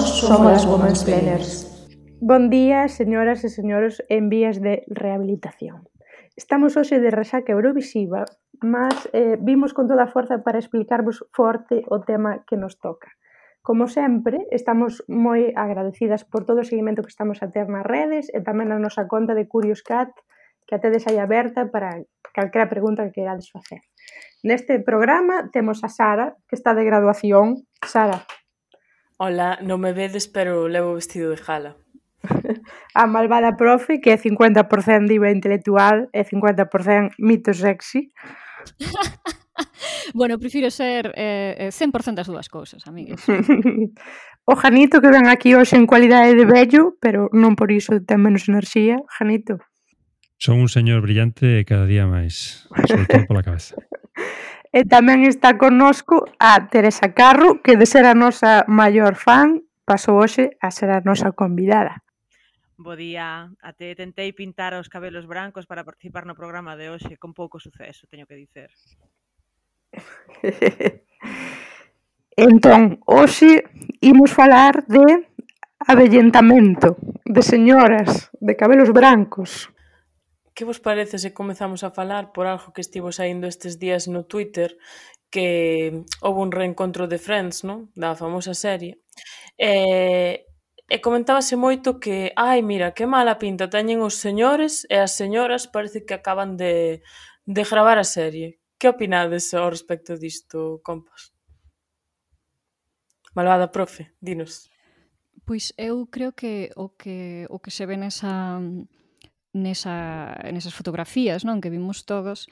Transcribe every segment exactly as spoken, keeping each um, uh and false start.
somos as Womansplainers. Bon día, señoras e señores en vías de rehabilitación. Estamos hoxe de resaca eurovisiva, mas eh, vimos con toda a forza para explicarvos forte o tema que nos toca. Como sempre, estamos moi agradecidas por todo o seguimento que estamos a ter nas redes e tamén na nosa conta de Curious Cat, que a tedes aí aberta para calquera pregunta que querades facer. Neste programa temos a Sara, que está de graduación. Sara. Hola, non me vedes, pero levo vestido de gala. A malvada profe, que é cincuenta por cento diva intelectual e cincuenta por cento mito sexy. Bueno, prefiro ser eh, cen por cento as dúas cousas, amigues. O Janito, que ven aquí hoxe en cualidade de vello, pero non por iso ten menos enerxía. Janito. Son un señor brillante e cada día máis, sobre todo pola cabeza. E tamén está connosco a Teresa Carro, que de ser a nosa maior fan, pasou hoxe a ser a nosa convidada. Bo día, até tentei pintar os cabelos brancos para participar no programa de hoxe, con pouco suceso, teño que dicer. Entón, hoxe imos falar de avellentamento, de señoras, de cabelos brancos. Que vos parece se comezamos a falar por algo que estivo saindo estes días no Twitter, que houve un reencontro de Friends, non? Da famosa serie. E, e comentábase moito que, ai, mira, que mala pinta teñen os señores e as señoras parece que acaban de, de gravar a serie. Que opinades ao respecto disto, compas? Malvada profe, dinos. Pois eu creo que o que o que se ve nesa nesa nesas fotografías, non, que vimos todos,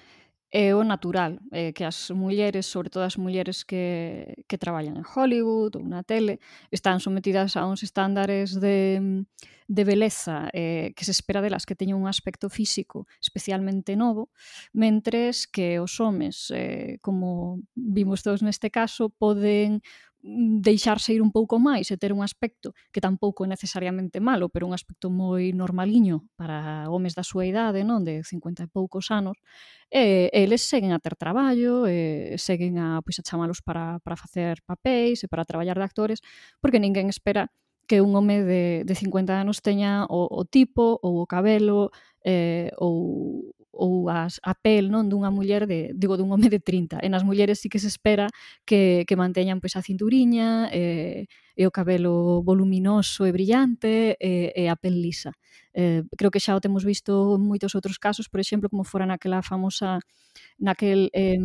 é o natural, é que as mulleres, sobre todo as mulleres que, que traballan en Hollywood ou na tele, están sometidas a uns estándares de, de beleza eh, que se espera delas que teñan un aspecto físico especialmente novo, mentres que os homes, eh, como vimos todos neste caso, poden deixarse ir un pouco máis e ter un aspecto que tampouco é necesariamente malo, pero un aspecto moi normaliño para homes da súa idade, non, de cincuenta e poucos anos, e eles seguen a ter traballo, e seguen a, pois, a chamalos para, para facer papéis e para traballar de actores, porque ninguén espera que un home de, de cincuenta anos teña o, o tipo ou o cabelo eh, ou, ou as, a pel, non, dunha muller de, digo, dun home de trinta. E nas mulleres sí que se espera que, que manteñan, pois, a cinturiña e, e o cabelo voluminoso e brillante e, e a pel lisa. Eh, creo que xa o temos visto en moitos outros casos, por exemplo, como fora naquela famosa naquel eh,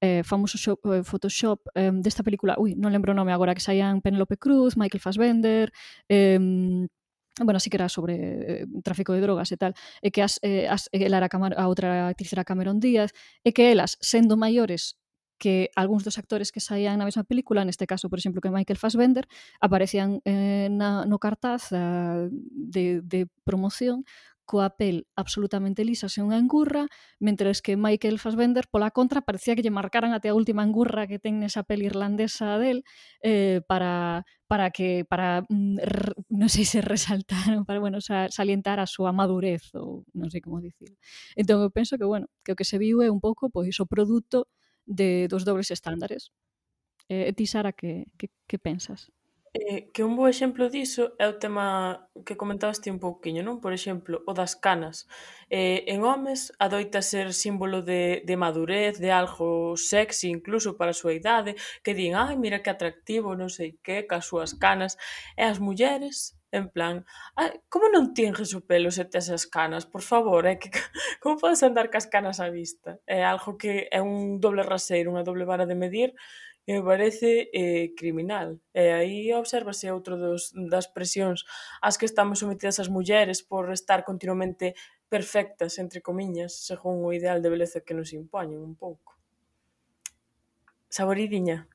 eh, famoso shop, eh, Photoshop eh, desta película, ui, non lembro o nome agora, que saían Penélope Cruz, Michael Fassbender, eh, bueno, así que era sobre eh, tráfico de drogas e tal, e que as, eh, as, ela era Camar- a outra actriz era Cameron Díaz, e que elas, sendo maiores que algúns dos actores que saían na mesma película, neste caso, por exemplo, que Michael Fassbender, aparecían eh, na, no cartaz uh, de, de promoción coa pel absolutamente lisa sen unha engurra, mentres que Michael Fassbender, pola contra, parecía que lle marcaran até a última engurra que ten nesa pel irlandesa del eh, para, para que, para, mm, r, non sei se resaltar, para, bueno, sa, salientar a súa madurez, ou non sei como dicirlo. Entón, eu penso que, bueno, que o que se viu é un pouco, pois, o produto de, dos dobles estándares. Eh, ti, Sara, que, que, que pensas? Eh, que un bo exemplo diso é o tema que comentabas ti un pouquiño, non? Por exemplo, o das canas. Eh, en homes adoita ser símbolo de, de madurez, de algo sexy incluso para a súa idade, que din, ai, mira que atractivo, non sei que, cas súas canas. E as mulleres, en plan, ai, como non tinges o pelo se tes as canas? Por favor, é que como podes andar cas canas á vista? É algo que é un doble raseiro, unha doble vara de medir, que me parece eh, criminal. E aí obsérvase outro dos, das presións ás que estamos sometidas as mulleres por estar continuamente perfectas, entre comiñas, según o ideal de beleza que nos impoñen un pouco. Saboridiña.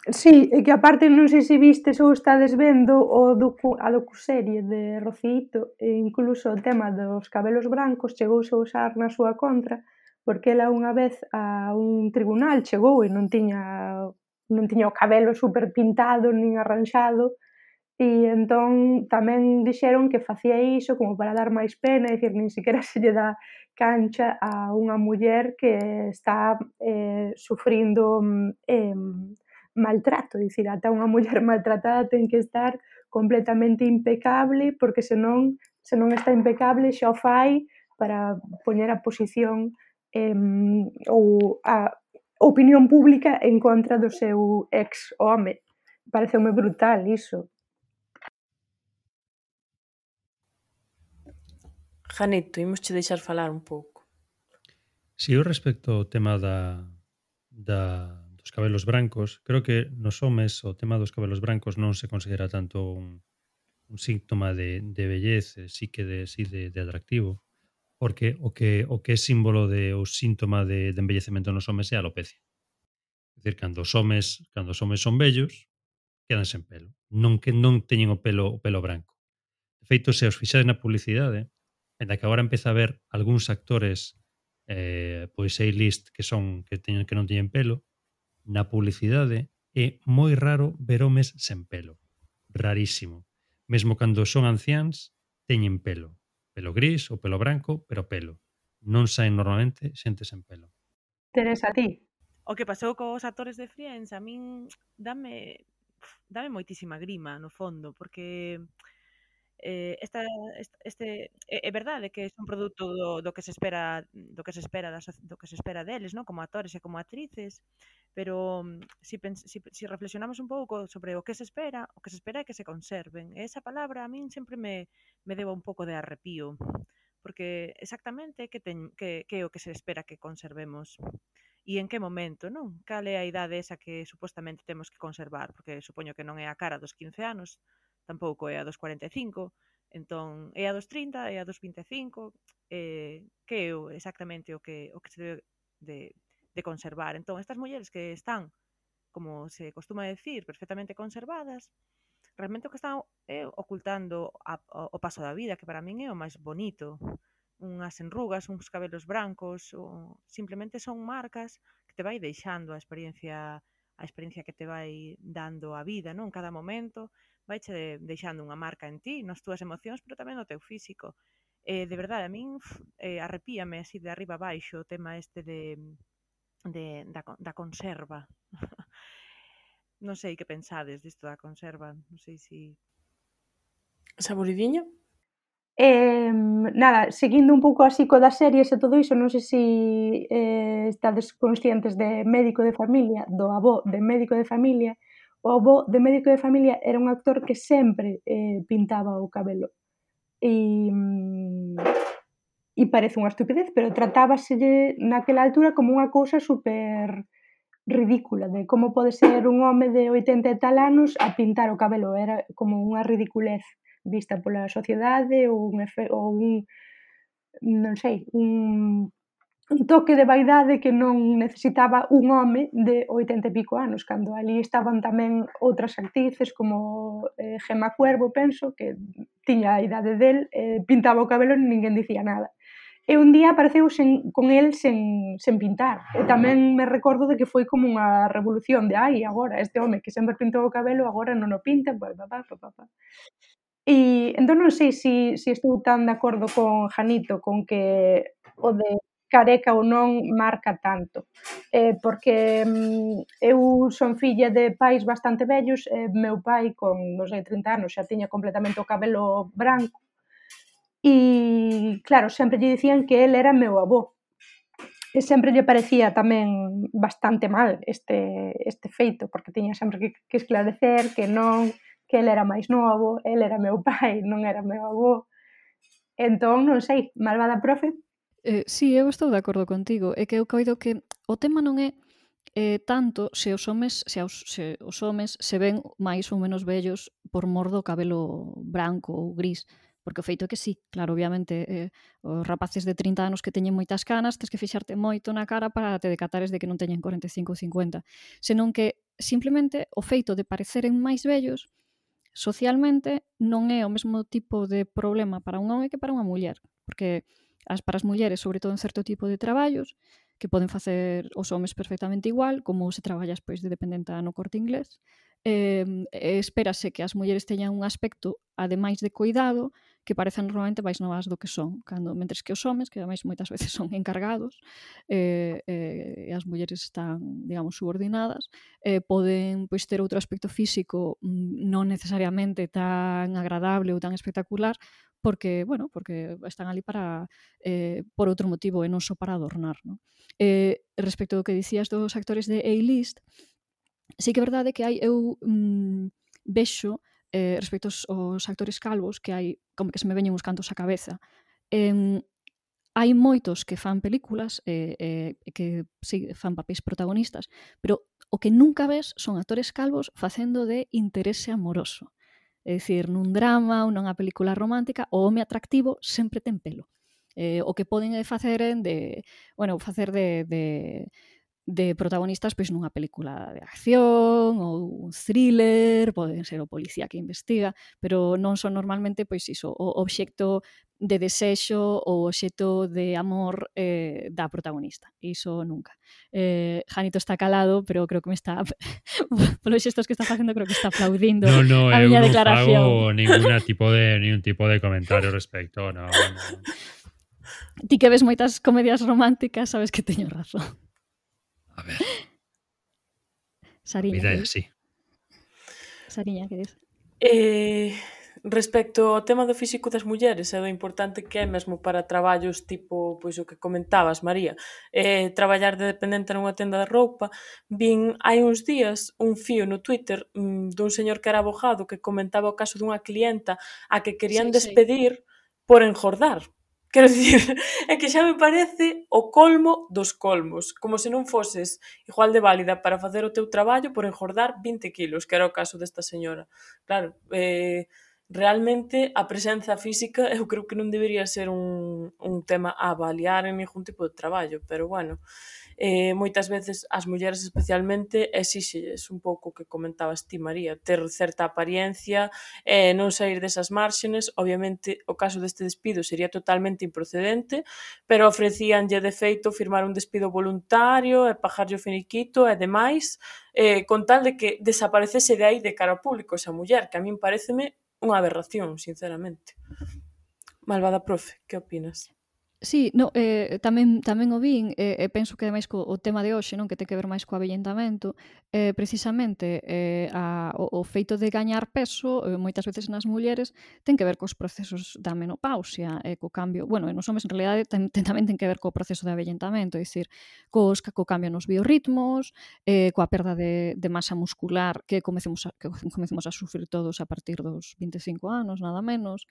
Sí, e que aparte non sei se vistes ou estades vendo o docu, a docuserie de Rociito, e incluso o tema dos cabelos brancos chegouse a usar na súa contra, porque ela unha vez a un tribunal chegou e non tiña non tiña o cabelo super pintado nin arranxado, e entón tamén dixeron que facía iso como para dar máis pena, é dicir, nin sequera se lle dá cancha a unha muller que está eh, sufrindo eh, maltrato, é dicir, ata unha muller maltratada ten que estar completamente impecable, porque senón, se non está impecable xa o fai para poñer a posición eh, ou a opinión pública en contra do seu ex-home. Pareceume brutal iso. Janito, imos che deixar falar un pouco. Si eu respecto ao tema da, da, dos cabelos brancos, creo que nos homes o tema dos cabelos brancos non se considera tanto un, un síntoma de, de bellez, sí que de, sí de, de atractivo, porque o que, o que é símbolo de o síntoma de, de embellecemento nos homes é a alopecia. É dicir, cando os homes, cando os homes son vellos, quedan sen pelo. Non que non teñen o pelo o pelo branco. De feito, se os fixades na publicidade, ainda que agora empeza a ver algúns actores eh, pois A-list que son que teñen que non teñen pelo, na publicidade é moi raro ver homes sen pelo. Rarísimo. Mesmo cando son anciáns, teñen pelo. Pelo gris ou pelo branco, pero pelo. Non saen normalmente xente sen pelo. Teresa, a ti? O que pasou cos actores de Friends a min dame dame moitísima grima no fondo, porque eh, esta, este é, é verdade que é un produto do, do que se espera do que se espera da, do que se espera deles, ¿no? Como actores e como actrices, pero si, pens, si, si reflexionamos un pouco sobre o que se espera, o que se espera é que se conserven. E esa palabra a min sempre me, me deba un pouco de arrepío, porque exactamente que, ten, que, que é o que se espera que conservemos. E en que momento, non? Cal é a idade esa que supostamente temos que conservar? Porque supoño que non é a cara dos quince anos, tampouco é a dos cuarenta e cinco, entón é a dos trinta, é a dos vinte e cinco, eh, que é o, exactamente o que, o que se debe de, de conservar. Entón, estas mulleres que están, como se costuma decir, perfectamente conservadas, realmente o que están é ocultando a, o, o paso da vida, que para min é o máis bonito. Unhas enrugas, uns cabelos brancos, ou simplemente son marcas que te vai deixando a experiencia a experiencia que te vai dando a vida, non? Cada momento vai che deixando unha marca en ti, nas túas emocións, pero tamén no teu físico. Eh, de verdade, a min eh, arrepíame así de arriba abaixo o tema este de, de da, da conserva. Non sei que pensades disto da conserva, non sei se... Saboridiña? Eh, nada, seguindo un pouco así co das series e todo iso, non sei se eh, estades conscientes de Médico de Familia, do avó de Médico de Familia. O avó de Médico de Familia era un actor que sempre eh, pintaba o cabelo. E, e parece unha estupidez, pero tratábaselle naquela altura como unha cousa super ridícula, de como pode ser un home de oitenta e tal anos a pintar o cabelo. Era como unha ridiculez vista pola sociedade ou un, efe, ou un non sei, un, un toque de vaidade que non necesitaba un home de oitenta e pico anos, cando ali estaban tamén outras actrices como eh, Gemma Cuervo, penso, que tiña a idade del, eh, pintaba o cabelo e ninguén dicía nada. E un día apareceu sen, con el sen, sen pintar. E tamén me recordo de que foi como unha revolución de ai, agora, este home que sempre pintou o cabelo, agora non o pinta, pa, pa, pa, pa, pa. E entón non sei se si, si estou tan de acordo con Janito con que o de careca ou non marca tanto, eh, porque mm, eu son filla de pais bastante vellos, e meu pai con, non sei, trinta anos xa tiña completamente o cabelo branco e, claro, sempre lle dicían que el era meu avó e sempre lle parecía tamén bastante mal este, este feito, porque tiña sempre que, que esclarecer que non, que el era máis novo, el era meu pai, non era meu avó. Entón, non sei, malvada profe. Eh, sí, eu estou de acordo contigo. É que eu coido que o tema non é eh, tanto se os homes se os, se os homes se ven máis ou menos vellos por mor do cabelo branco ou gris, porque o feito é que sí, claro, obviamente eh, os rapaces de trinta anos que teñen moitas canas, tes que fixarte moito na cara para te decatares de que non teñen cuarenta e cinco ou cincuenta, senón que simplemente o feito de pareceren máis vellos socialmente non é o mesmo tipo de problema para un home que para unha muller, porque as para as mulleres, sobre todo en certo tipo de traballos, que poden facer os homes perfectamente igual, como se traballas pois de dependenta no Corte Inglés, eh, espérase que as mulleres teñan un aspecto, ademais de cuidado, que parecen normalmente máis novas do que son, cando mentres que os homes, que ademais moitas veces son encargados, eh, eh, e as mulleres están, digamos, subordinadas, eh, poden pois ter outro aspecto físico mm, non necesariamente tan agradable ou tan espectacular, porque, bueno, porque están ali para eh, por outro motivo e non só para adornar, non? Eh, respecto ao que dicías dos actores de A-list, sí que é verdade que hai, eu mm, vexo eh, respecto aos, aos actores calvos, que hai, como que se me veñen uns cantos á cabeza, eh, hai moitos que fan películas e eh, eh, que sí, fan papéis protagonistas, pero o que nunca ves son actores calvos facendo de interese amoroso. É dicir, nun drama ou nunha película romántica, o home atractivo sempre ten pelo. Eh, o que poden facer de, bueno, facer de, de de protagonistas pois nunha película de acción ou un thriller, poden ser o policía que investiga, pero non son normalmente pois iso, o obxecto de desexo ou obxecto de amor eh, da protagonista. Iso nunca. Eh, Janito está calado, pero creo que me está polos xestos que está facendo, creo que está aplaudindo No, no, a eu miña non declaración. fago ninguna tipo de ningún tipo de comentario respecto, no, no. Ti que ves moitas comedias románticas, sabes que teño razón. A ver, Sariña, vida é que dis? así. Sariña, que dis? Eh, respecto ao tema do físico das mulleres e do importante que é mesmo para traballos tipo, pois o que comentabas, María, eh, traballar de dependente nunha tenda de roupa, vin hai uns días un fío no Twitter mm, dun señor que era abogado que comentaba o caso dunha clienta a que querían Sí, sí. despedir por engordar. Quero dicir, é que xa me parece o colmo dos colmos, como se non foses igual de válida para facer o teu traballo por engordar vinte kilos, que era o caso desta señora. Claro, eh, realmente a presenza física eu creo que non debería ser un, un tema a avaliar en ningún tipo de traballo, pero bueno, eh, moitas veces as mulleres especialmente exíxelles un pouco o que comentabas ti, María, ter certa apariencia, eh, non sair desas márxenes. Obviamente o caso deste despido sería totalmente improcedente, pero ofrecíanlle de feito firmar un despido voluntario e pagarlle o finiquito e demais, eh, con tal de que desaparecese de aí de cara ao público esa muller, que a min pareceme unha aberración, sinceramente. Malvada profe, que opinas? Sí, no, eh, tamén tamén o vin e eh, penso que ademais co o tema de hoxe, non, que ten que ver máis co avellentamento, eh, precisamente eh, a, o, o feito de gañar peso eh, moitas veces nas mulleres ten que ver cos procesos da menopausia e eh, co cambio, bueno, e nos homes en realidade ten, ten, tamén ten que ver co proceso de avellentamento, é dicir, cos, co cambio nos biorritmos, eh, coa perda de, de masa muscular que comecemos a, que comecemos a sufrir todos a partir dos vinte e cinco anos, nada menos.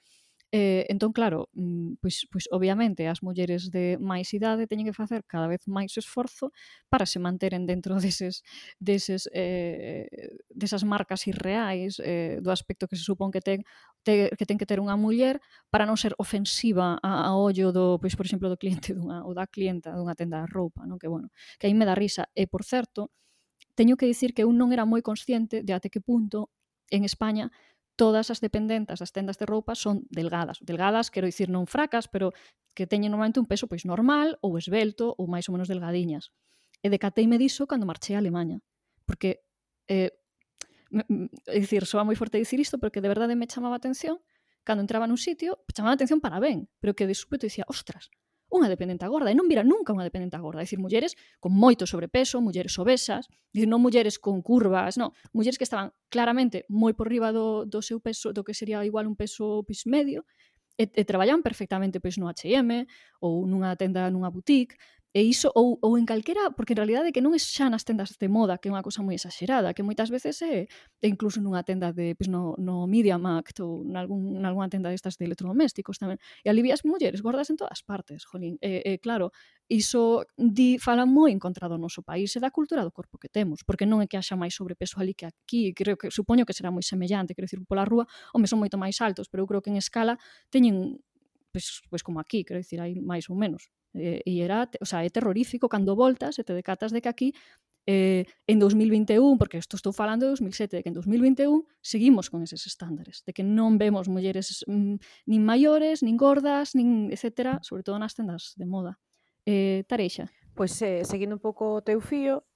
Eh, entón, claro, pois, pois obviamente as mulleres de máis idade teñen que facer cada vez máis esforzo para se manteren dentro deses, deses, eh, desas marcas irreais eh, do aspecto que se supón que ten, te, que ten que ter unha muller para non ser ofensiva a, a ollo do, pois, por exemplo, do cliente dunha, ou da clienta dunha tenda de roupa, non? Que bueno, que aí me dá risa. E, por certo, teño que dicir que eu non era moi consciente de até que punto en España todas as dependentas das tendas de roupa son delgadas. Delgadas, quero dicir, non fracas, pero que teñen normalmente un peso pois normal ou esvelto ou máis ou menos delgadiñas. E decateime diso cando marchei a Alemanha. Porque, eh, é dicir, soa moi forte dicir isto, porque de verdade me chamaba a atención. Cando entraba nun sitio, chamaba a atención para ben, pero que de súpeto dicía, ostras, unha dependenta gorda, e non vira nunca unha dependenta gorda, é dicir, mulleres con moito sobrepeso, mulleres obesas, dicir, non mulleres con curvas, non, mulleres que estaban claramente moi por riba do, do seu peso, do que sería igual un peso pois, medio, e, e traballaban perfectamente pois, no H e M ou nunha tenda, nunha boutique, e iso, ou, ou en calquera, porque en realidade que non é xa nas tendas de moda, que é unha cousa moi exagerada, que moitas veces é, é incluso nunha tenda de, pois, no, no Media Markt ou nalgún, nalgúna tenda destas de electrodomésticos tamén. E ali vías mulleres gordas en todas partes, jolín. E, e claro, iso di, fala moi en contra do noso país e da cultura do corpo que temos, porque non é que haxa máis sobrepeso ali que aquí, creo que, supoño que será moi semellante, quero dicir, pola rúa, home, son moito máis altos, pero eu creo que en escala teñen, pois, pois como aquí, quero dicir, hai máis ou menos. E, e era, o sea, é terrorífico cando voltas e te decatas de que aquí eh, en dos mil vinte e un, porque isto estou falando de dos mil sete, de que en dos mil vinte e un seguimos con eses estándares, de que non vemos mulleres mm, nin maiores, nin gordas, nin etcétera, sobre todo nas tendas de moda. Eh, Tareixa. Pois, eh, seguindo un pouco o teu fío,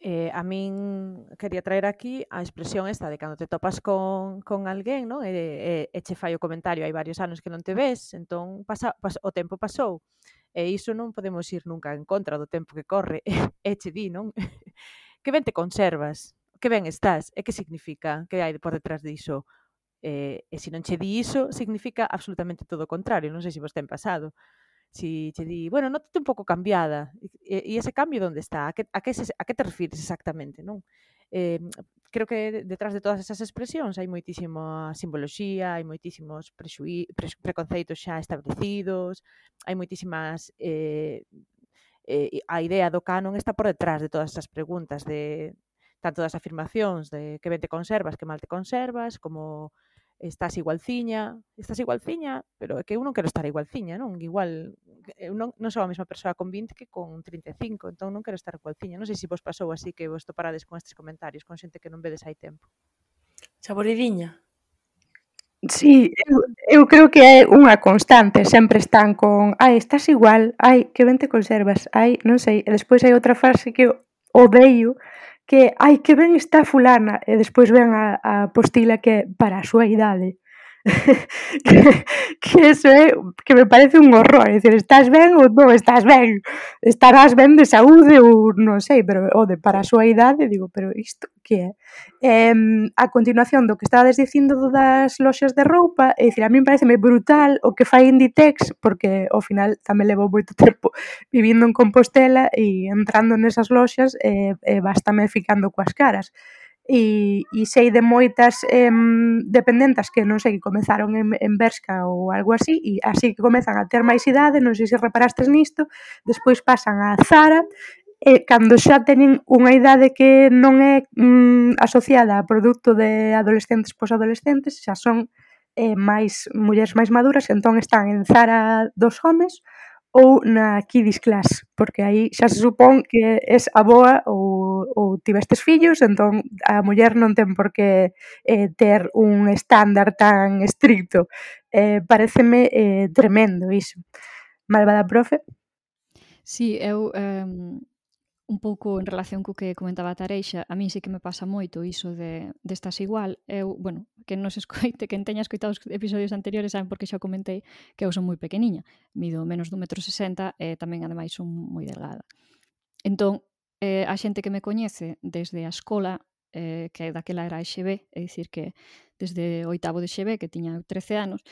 Eh, a min quería traer aquí a expresión esta de cando te topas con, con alguén, non? E, e, e che fai o comentario hai varios anos que non te ves, entón pasa, pas, o tempo pasou. E iso non podemos ir nunca en contra do tempo que corre. E che di, non? Que ben te conservas, que ben estás, e que significa, que hai por detrás diso? E, e se non che di iso, significa absolutamente todo o contrario. Non sei se vos ten pasado. Si che di, bueno, nótate un pouco cambiada. E, e ese cambio onde está? A que, a, que se, a que te refires exactamente, non? Eh, creo que detrás de todas esas expresións hai moitísima simboloxía, hai moitísimos prexuí, pre, preconceitos xa establecidos, hai moitísimas... Eh, eh, a idea do canon está por detrás de todas esas preguntas, de tanto das afirmacións de que ben te conservas, que mal te conservas, como estás igualciña, estás igualciña, pero é que eu non quero estar igualciña, non? Igual, eu non, non sou a mesma persoa con vinte que con trinta e cinco, entón non quero estar igualciña. Non sei se vos pasou así que vos toparades con estes comentarios, con xente que non vedes hai tempo. Saboridiña. Sí, eu, eu creo que é unha constante, sempre están con ai, estás igual, ai, que ben te conservas, ai, non sei, e despois hai outra frase que odeio, que ai, que ben está fulana, e despois ven a, a postila que é para a súa idade. que, que eso é que me parece un horror, é dicir, estás ben ou non estás ben, estarás ben de saúde ou non sei, pero o de para a súa idade, digo, pero isto que é? Eh, a continuación do que estabades dicindo das loxas de roupa, é dicir, a mí pareceme brutal o que fai Inditex, porque ao final tamén levo moito tempo vivindo en Compostela e entrando nesas loxas e, e bastame ficando coas caras. E, e sei de moitas eh, dependentas que non sei, que comezaron en, en Bershka ou algo así, e así que comezan a ter máis idade, non sei se reparastes nisto, despois pasan a Zara, e cando xa teñen unha idade que non é mm, asociada a produto de adolescentes posadolescentes, xa son eh, máis mulleres máis maduras, entón están en Zara dos homes ou na Kiddies Class, porque aí xa se supón que es aboa ou, ou tivestes fillos, entón a muller non ten por que eh, ter un estándar tan estricto. Eh, pareceme eh, tremendo iso. Malvada profe? Sí, eu... Um... un pouco en relación co que comentaba a Tareixa, a mí sí que me pasa moito iso de, de estás igual. Eu, bueno, que non se escoite, que teña escoitado os episodios anteriores, saben porque xa comentei que eu son moi pequeniña, mido menos dun metro sesenta e tamén, ademais, son moi delgada. Entón, eh, a xente que me coñece desde a escola, eh, que daquela era a X B, é dicir que desde oitavo de X B, que tiña trece anos,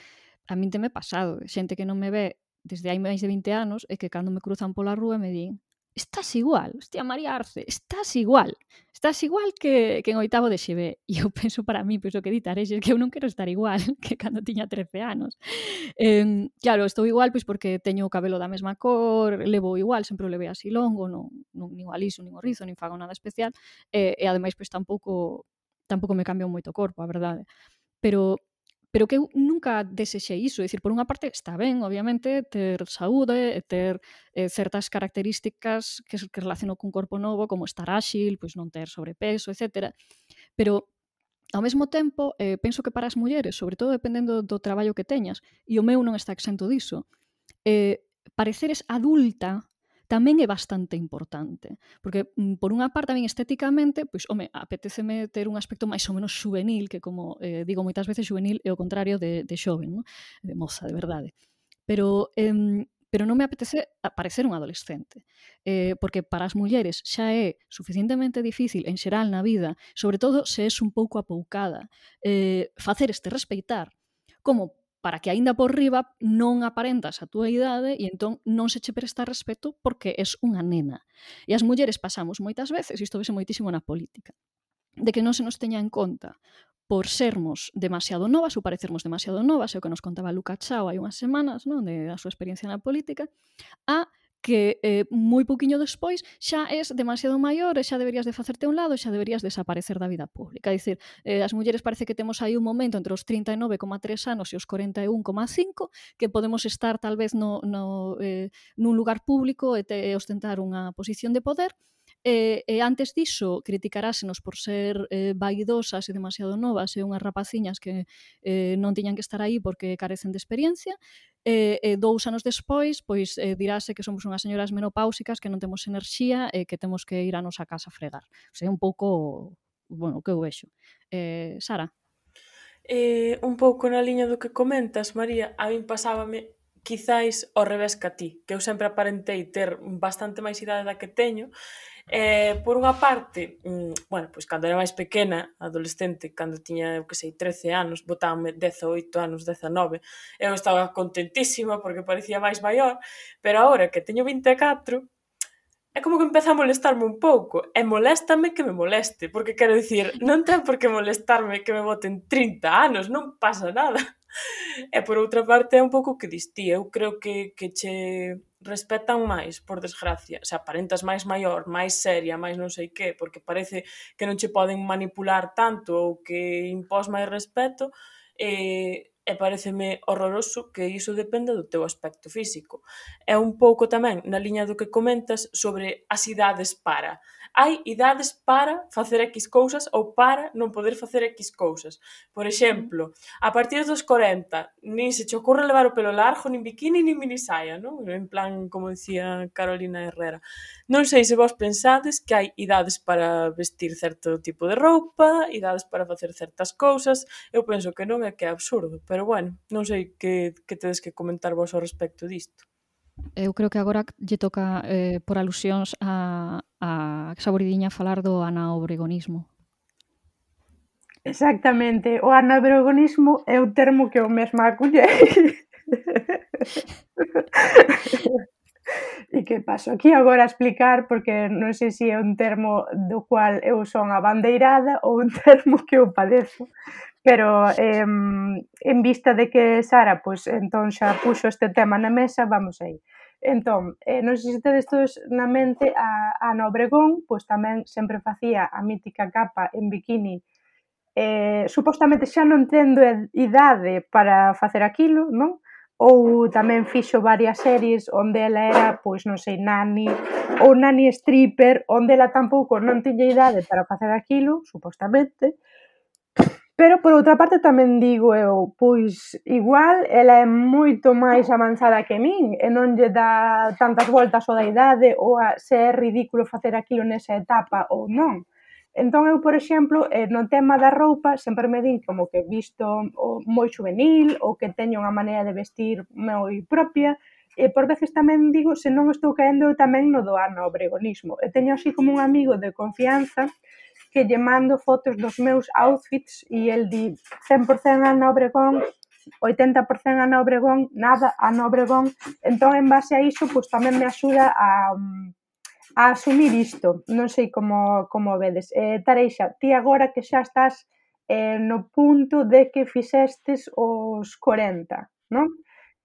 a min teme pasado, xente que non me ve desde hai máis de vinte anos e que cando me cruzan pola rúa me din estás igual, hostia, María Arce, estás igual, estás igual que, que en oitavo de X B. E eu penso para mí, pois o que ditares, é que eu non quero estar igual que cando tiña trece anos. Eh, claro, estou igual pois porque teño o cabelo da mesma cor, levo igual, sempre o levei así longo, non, non nin o aliso, nin o rizo, nin fago nada especial, e, e ademais pois tampouco, tampouco me cambia moito o corpo, a verdade. Pero pero que eu nunca desexei iso, é dicir, por unha parte está ben, obviamente, ter saúde e ter eh, certas características que, que relaciono cun corpo novo, como estar áxil, pois non ter sobrepeso, etcétera. Pero ao mesmo tempo, eh, penso que para as mulleres, sobre todo dependendo do traballo que teñas, e o meu non está exento diso, eh, pareceres adulta tamén é bastante importante, porque por unha parte a min estéticamente, pois, home, apetéceme ter un aspecto máis ou menos juvenil, que como eh, digo moitas veces, juvenil é o contrario de, de xoven, non? De moza, de verdade. Pero, eh, pero non me apetece parecer un adolescente, eh, porque para as mulleres xa é suficientemente difícil en xeral na vida, sobre todo se és un pouco apoucada, eh, facer este respeitar, como para que aínda por riba non aparentas a túa idade e entón non se che presta respeto porque és unha nena. E as mulleres pasamos moitas veces, isto vese moitísimo na política, de que non se nos teña en conta por sermos demasiado novas ou parecermos demasiado novas, é o que nos contaba Luca Chao hai unhas semanas, non, de a súa experiencia na política, a que eh, moi pouquiño despois xa és demasiado maior e xa deberías de facerte a un lado e xa deberías desaparecer da vida pública. É dicir, eh, as mulleres parece que temos aí un momento entre os trinta e nove coma tres anos e os corenta e un coma cinco que podemos estar tal vez no, no, eh, nun lugar público e, te, e ostentar unha posición de poder E, e antes diso, criticarásenos por ser eh, vaidosas e demasiado novas e unhas rapaciñas que eh, non tiñan que estar aí porque carecen de experiencia, e, e dous anos despois, pois eh, dirase que somos unhas señoras menopáusicas que non temos enerxía e que temos que ir a nosa casa a fregar. O sea, é un pouco, bueno, o que eu vexo. Eh, Sara? Eh, un pouco na liña do que comentas, María, a min pasábame quizáis ao revés que a ti, que eu sempre aparentei ter bastante máis idade da que teño. Eh, por unha parte, mm, bueno, pois cando era máis pequena, adolescente, cando tiña, eu que sei, trece anos, botábame dezaoito anos, dezanove, eu estaba contentísima porque parecía máis maior, pero agora que teño vinte e catro, é como que empeza a molestarme un pouco, e moléstame que me moleste, porque quero dicir, non ten por que molestarme que me boten trinta anos, non pasa nada. E por outra parte é un pouco que dis ti, eu creo que, que che respetan máis, por desgracia, se aparentas máis maior, máis seria, máis non sei que, porque parece que non che poden manipular tanto ou que impós máis respeto, e, e pareceme horroroso que iso dependa do teu aspecto físico. É un pouco tamén na liña do que comentas sobre as idades para. Hai idades para facer X cousas ou para non poder facer X cousas. Por exemplo, a partir dos corenta, nin se che ocorre levar o pelo largo, nin bikini, nin minisaia, non? En plan, como dicía Carolina Herrera. Non sei se vos pensades que hai idades para vestir certo tipo de roupa, idades para facer certas cousas. Eu penso que non, é que é absurdo, pero bueno, non sei que, que tedes que comentar vos ao respecto disto. Eu creo que agora lle toca, eh, por alusións a, a Saboridiña falar do anaobregonismo. Exactamente, o anaobregonismo é o termo que eu mesma acullei. E que paso aquí agora a explicar, porque non sei se é un termo do cual eu son abandeirada ou un termo que eu padezo. Pero eh, en vista de que Sara, pois, entón xa puxo este tema na mesa, vamos aí. Entón, eh, non sei se tedes todos na mente a Ana Obregón, pois tamén sempre facía a mítica capa en bikini. Eh, supostamente xa non tendo idade para facer aquilo, non? Ou tamén fixo varias series onde ela era, pois non sei, nani ou nani stripper, onde ela tampouco non tiña idade para facer aquilo, supostamente. Pero, por outra parte, tamén digo eu, pois, igual, ela é moito máis avanzada que min e non lle dá tantas voltas ao da idade ou a se é ridículo facer aquilo nesa etapa ou non. Entón, eu, por exemplo, no tema da roupa, sempre me din como que visto moi juvenil ou que teño unha maneira de vestir moi propia, e por veces tamén digo se non estou caendo tamén no do anaobregonismo. E teño así como un amigo de confianza que lle mando fotos dos meus outfits e el di cen por cento Ana Obregón, oitenta por cento Ana Obregón, nada Ana Obregón. Entón, en base a iso, pois tamén me axuda a, a asumir isto. Non sei como, como vedes. Eh, Tareixa, ti agora que xa estás eh, no punto de que fixestes os corenta, non?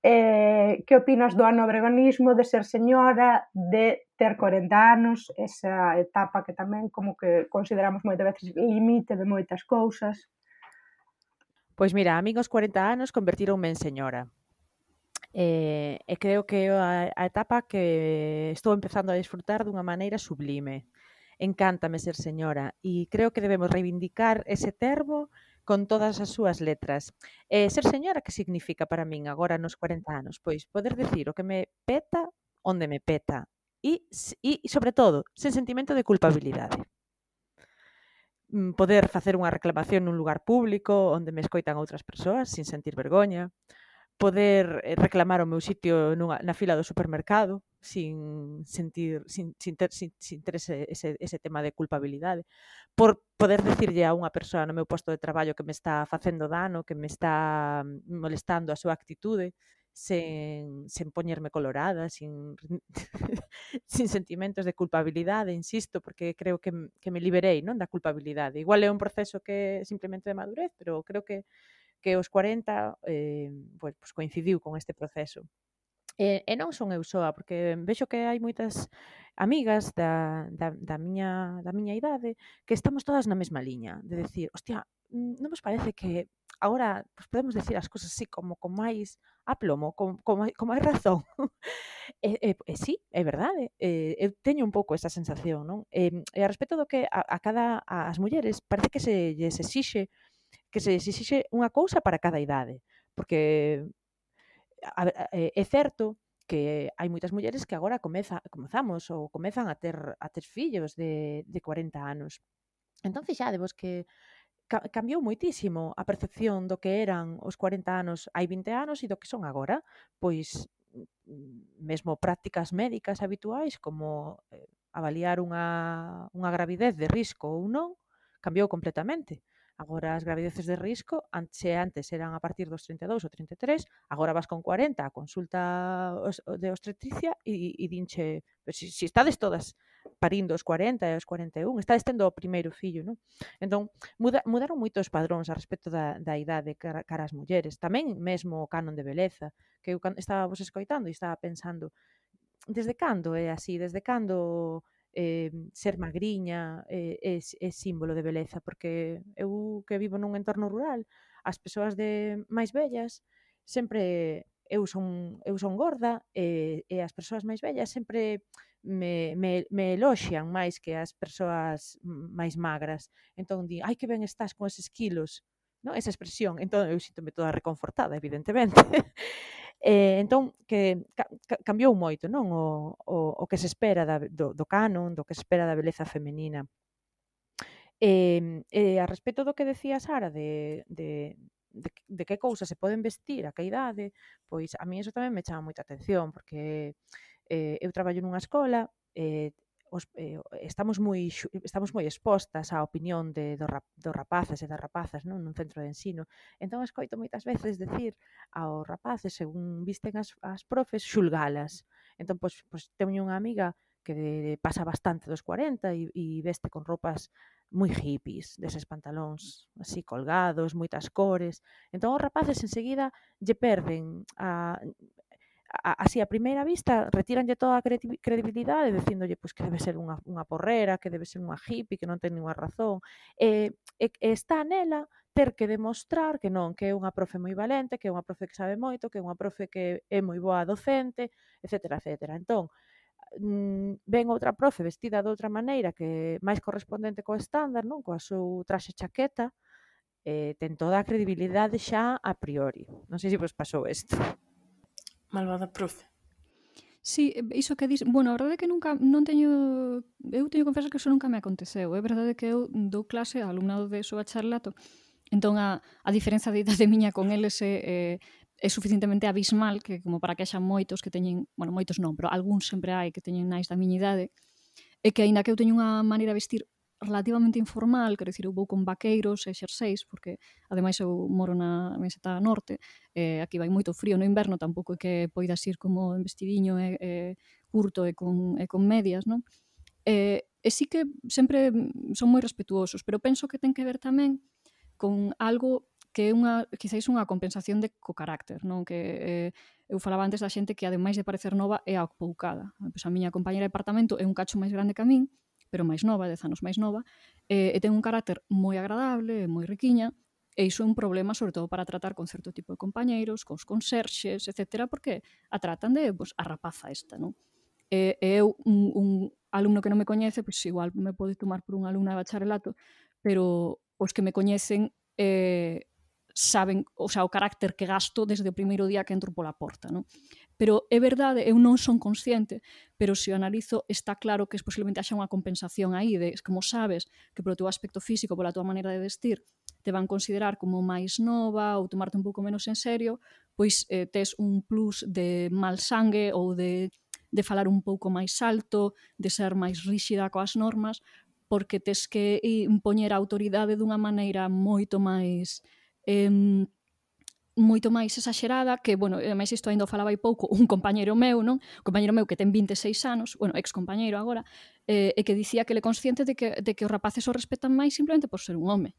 Eh, que opinas do anaobregonismo, de ser señora, de ter corenta anos, esa etapa que tamén como que consideramos moitas veces limite de moitas cousas? Pois mira, a min aos corenta anos convertironme en señora. E, e creo que é a, a etapa que estou empezando a disfrutar dunha maneira sublime. Encántame ser señora e creo que debemos reivindicar ese termo con todas as súas letras. Eh, ser señora, que significa para min agora nos corenta anos? Pois poder decir o que me peta onde me peta e, e sobre todo, sen sentimento de culpabilidade. Poder facer unha reclamación nun lugar público onde me escoitan outras persoas sin sentir vergoña. Poder reclamar o meu sitio nunha, na fila do supermercado sin sentir sin, sin ter, sin, sin ter ese, ese, ese tema de culpabilidade. Por poder decirlle a unha persoa no meu posto de traballo que me está facendo dano, que me está molestando a súa actitude, sen, sen poñerme colorada, sin, sin sentimentos de culpabilidade, insisto, porque creo que, que me liberei, non, da culpabilidade. Igual é un proceso que é simplemente de madurez, pero creo que que os corenta eh, pues, pues coincidiu con este proceso. E, e non son eu soa, porque vexo que hai moitas amigas da, da, da, miña, da miña idade que estamos todas na mesma liña, de decir, hostia, non vos parece que agora pues, podemos decir as cousas así como con máis aplomo, con, con, con máis razón. e, e, e sí, é verdade. E, eu teño un pouco esa sensación, non? E, e a respecto do que a, a cada as mulleres parece que se lles exixe que se lles exixe unha cousa para cada idade, porque a, a, é certo que hai moitas mulleres que agora comeza, comezamos ou comezan a ter a ter fillos de, de cuarenta anos. Entón, fixadevos que ca- cambiou moitísimo a percepción do que eran os cuarenta anos hai vinte anos e do que son agora. Pois mm, mesmo prácticas médicas habituais como eh, avaliar unha, unha gravidez de risco ou non, cambiou completamente. Agora as gravideces de risco, antes, antes eran a partir dos trinta e dous ou trinta e tres, agora vas con cuarenta a consulta os- de obstetricia e, e dinche, "Pero si, si estades todas parindo os cuarenta e os cuarenta e un, estades tendo o primeiro fillo, non?" Entón, muda, mudaron moito os padróns a respecto da, da idade cara, cara ás mulleres. Tamén mesmo o canon de beleza, que eu can- estaba vos escoitando e estaba pensando, desde cando é así? Desde cando eh, ser magriña é, é, é símbolo de beleza? Porque eu que vivo nun entorno rural, as persoas de máis vellas sempre eu son eu son gorda e, e as persoas máis vellas sempre me, me, me eloxian máis que as persoas máis magras. Entón di, ai que ben estás con eses quilos, non? Esa expresión. Entón eu síntome toda reconfortada, evidentemente. Eh, entón, que ca, ca, cambiou moito, non? O, o, o que se espera da, do, do canon, do que se espera da beleza femenina. E, e a respecto do que decía Sara de, de, de, de que cousas se poden vestir a que idade, pois a mí eso tamén me chama moita atención, porque eh, eu traballo nunha escola, eh, os, eh, estamos moi estamos moi expostas á opinión de dos rap, do rapaces e das rapazas, non, nun centro de ensino. Entón escoito moitas veces decir aos rapaces, según visten as, as profes, xulgalas. Entón, pois, pois teño unha amiga que de, pasa bastante dos cuarenta e, e veste con roupas moi hippies, deses pantalóns así colgados, moitas cores. Entón os rapaces enseguida lle perden a así a primeira vista retiranlle toda a credibilidade dicíndolle pois, que debe ser unha, unha porrera, que debe ser unha hippie, que non ten ninguna razón. E, e, e está nela ter que demostrar que non, que é unha profe moi valente, que é unha profe que sabe moito, que é unha profe que é moi boa docente, etcétera, etcétera. Entón, ven outra profe vestida de outra maneira que máis correspondente co estándar, non? Coa seu traxe chaqueta, eh, ten toda a credibilidade xa a priori. Non sei se vos pasou isto. Malvada profe. Sí, iso que dis, bueno, a verdade é que nunca non teño, eu teño que confesar que eso nunca me aconteceu. É verdade que eu dou clase a alumnado de so bacharelato, entón a, a diferenza de idade miña con eles é, é, é suficientemente abismal que como para que haxa moitos que teñen, bueno, moitos non, pero algúns sempre hai que teñen nais da miña idade, e que aínda que eu teño unha maneira de vestir relativamente informal, quero dicir, eu vou con vaqueiros e xerseis, porque ademais eu moro na meseta norte, e aquí vai moito frío no inverno, tampouco é que poidas ir como en vestidiño e, e curto e con, e con medias, non? E, e sí que sempre son moi respetuosos, pero penso que ten que ver tamén con algo que é unha, quizáis unha compensación de co carácter, non? Que eh, eu falaba antes da xente que ademais de parecer nova é apoucada. Pois a miña compañera de apartamento é un cacho máis grande que a min, pero máis nova, dez anos máis nova, e, e ten un carácter moi agradable, moi riquiña, e iso é un problema sobre todo para tratar con certo tipo de compañeiros, cos conserxes, etcétera, porque a tratan de, pois, a rapaza esta, non? E, e eu, un, un alumno que non me coñece, pois igual me pode tomar por unha alumna de bacharelato, pero os que me coñecen eh, saben, o sea, o carácter que gasto desde o primeiro día que entro pola porta, non? Pero é verdade, eu non son consciente, pero se o analizo está claro que posiblemente haxa unha compensación aí, de como sabes que polo teu aspecto físico, pola tua maneira de vestir, te van considerar como máis nova ou tomarte un pouco menos en serio, pois eh, tes un plus de mal sangue ou de, de falar un pouco máis alto, de ser máis ríxida coas normas, porque tes que impoñer a autoridade dunha maneira moito máis eh, moito máis exagerada, que, bueno, máis isto ainda o falaba hai pouco, un compañeiro meu, non? Un compañeiro meu que ten vinte e seis anos, bueno, ex compañeiro agora, eh, e que dicía que ele consciente de que, de que os rapaces o respetan máis simplemente por ser un home.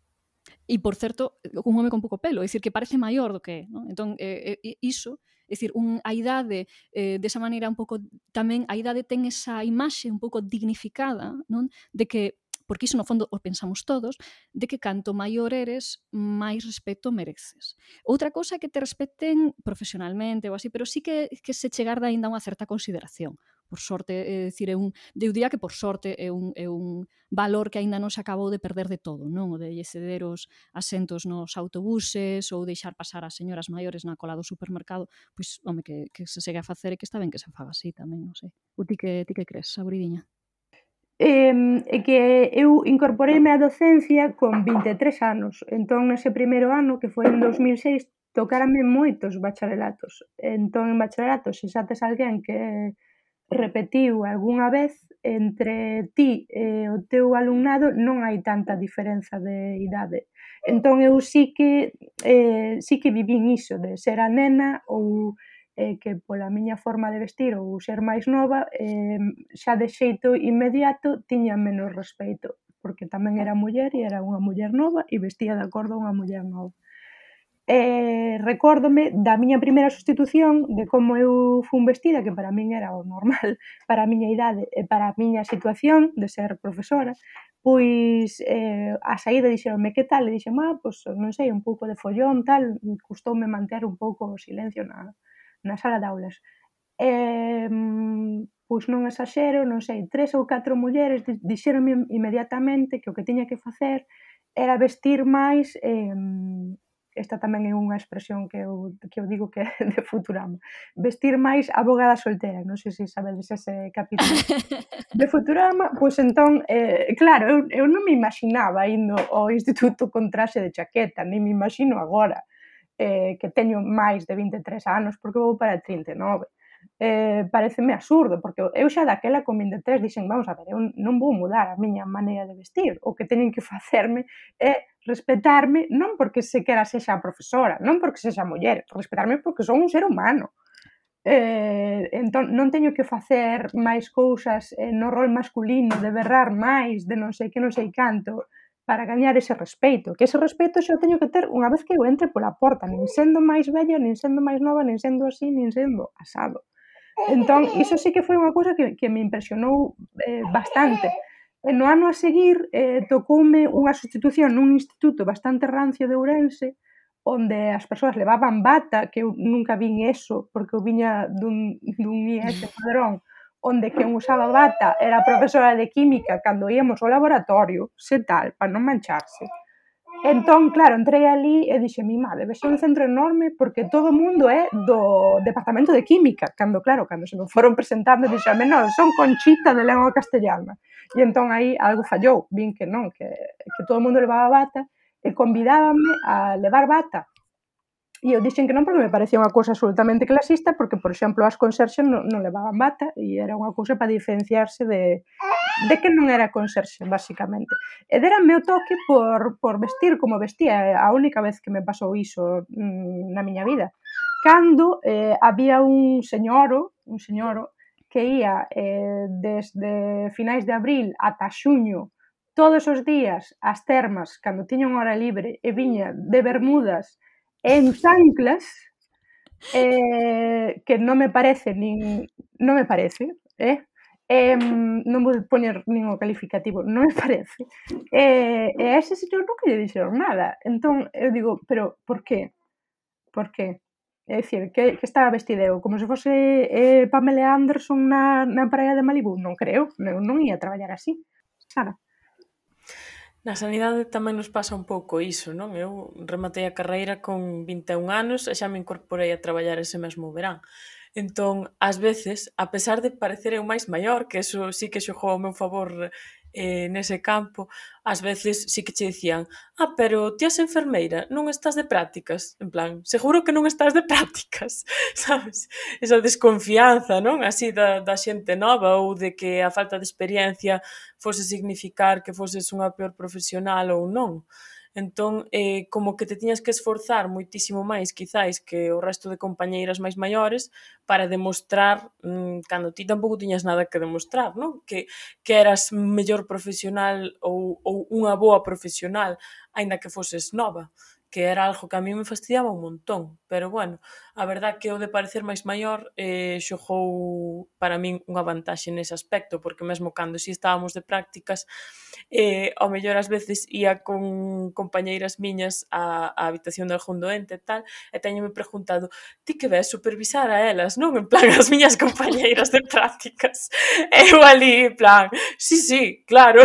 E, por certo, un home con pouco pelo, é dicir, que parece maior do que é, non? Entón, eh, eh, iso, é dicir, un, a idade, eh, desa maneira un pouco, tamén, a idade ten esa imaxe un pouco dignificada, non? De que porque iso no fondo o pensamos todos, de que canto maior eres, máis respeto mereces. Outra cousa é que te respeten profesionalmente ou así, pero sí que, que se chegar de aínda unha certa consideración. Por sorte, é dicir, é un, eu diría que por sorte é un, é un valor que aínda non se acabou de perder de todo, non? O de lle ceder os asentos nos autobuses ou deixar pasar as señoras maiores na cola do supermercado, pois, home, que, que se segue a facer e que está ben que se faga así tamén, non sei. O ti que, ti que crees, Sabridiña? Eh, é que eu incorporeime á docencia con vinte e tres anos. Entón, nese primeiro ano, que foi en dos mil seis, tocárame moitos bacharelatos. Entón, en bacharelatos, se xa tes alguén que repetiu algunha vez, entre ti e o teu alumnado non hai tanta diferenza de idade. Entón, eu sí que, eh, sí que vivín iso, de ser a nena ou eh, que pola miña forma de vestir ou ser máis nova, eh, xa de xeito inmediato tiña menos respeito, porque tamén era muller e era unha muller nova e vestía de acordo a unha muller nova. Eh, recórdome da miña primeira sustitución, de como eu fun vestida, que para min era o normal, para a miña idade e para a miña situación de ser profesora, pois eh, a saída dixeronme que tal, e dixen, ah, pois non sei, un pouco de follón, tal, custoume manter un pouco o silencio na, na sala de aulas. Eh, pois non exaxero, non sei, tres ou catro mulleres dixeronme inmediatamente que o que tiña que facer era vestir máis, eh, esta tamén é unha expresión que eu, que eu digo que é de Futurama, vestir máis abogada soltera, non sei se sabedes ese capítulo de Futurama, pois entón, eh, claro, eu, eu non me imaginaba indo ao instituto con traxe de chaqueta, nem me imagino agora, eh, que teño máis de vinte e tres anos, porque vou para trinta e nove. Eh, pareceme absurdo, porque eu xa daquela con vinte e tres dixen, vamos a ver, eu non vou mudar a miña maneira de vestir, o que teñen que facerme é respetarme, non porque se quera sexa profesora, non porque sexa muller, respetarme porque son un ser humano. Eh, entón, non teño que facer máis cousas eh, no rol masculino, de berrar máis, de non sei que, non sei canto, para gañar ese respeito, que ese respeito xa o teño que ter unha vez que eu entre pola porta, nin sendo máis vella, nin sendo máis nova, nin sendo así, nin sendo asado. Entón, iso sí que foi unha cousa que, que me impresionou eh, bastante. E no ano a seguir eh, tocoume unha sustitución nun instituto bastante rancio de Ourense, onde as persoas levaban bata, que eu nunca vin eso, porque eu viña dun, dun I S padrón, onde quen usaba bata era a profesora de química cando íamos ao laboratorio, se tal, para non mancharse. Entón, claro, entrei ali e dixe, mi madre, ves un centro enorme porque todo o mundo é do departamento de química, cando, claro, cando se me foron presentando, dixeme, non, son Conchita de lengua castellana. E entón aí algo fallou, vin que non, que, que todo o mundo levaba bata, e convidábanme a levar bata. E eu dixen que non porque me parecía unha cousa absolutamente clasista, porque, por exemplo, as conserxes non, non levaban bata e era unha cousa para diferenciarse de, de que non era conserxe, basicamente. E deranme o toque por, por vestir como vestía, a única vez que me pasou iso mmm, na miña vida. Cando eh, había un señoro, un señoro que ia eh, desde finais de abril ata xuño, todos os días ás termas, cando tiña unha hora libre, e viña de bermudas en chanclas, eh, que non me parece nin, non me parece, eh? Eh, non vou poñer nin o calificativo, non me parece. Eh, e a ese señor nunca lle dixeron nada. Entón, eu digo, pero por qué? Por qué? É dicir, que, que estaba vestideo? Como se fose eh, Pamela Anderson na, na praia de Malibu? Non creo, non, non ia traballar así. Sara. Na sanidade tamén nos pasa un pouco iso, non? Eu rematei a carreira con vinte e un anos e xa me incorporei a traballar ese mesmo verán. Entón, ás veces, a pesar de parecer eu máis maior, que eso sí que xogou ao meu favor eh, nese campo, ás veces sí que che dicían, ah, pero ti és enfermeira, non estás de prácticas? En plan, seguro que non estás de prácticas, sabes? Esa desconfianza, non? Así da, da xente nova ou de que a falta de experiencia fose significar que foses unha peor profesional ou non. Entón, eh, como que te tiñas que esforzar moitísimo máis, quizáis, que o resto de compañeiras máis maiores para demostrar, mmm, cando ti tampouco tiñas nada que demostrar, non? Que, que eras mellor profesional ou, ou unha boa profesional, aínda que foses nova. que era algo que a mí me fastidiaba un montón, pero bueno, a verdad que o de parecer máis maior eh, xogou para min unha vantaxe nese aspecto, porque mesmo cando si estábamos de prácticas, eh, ao mellor ás veces ia con compañeiras miñas á, á habitación de algún doente e tal, e teñome preguntado, ti que ves supervisar a elas, non? En plan, as miñas compañeiras de prácticas. E eu ali, en plan, sí, sí, claro.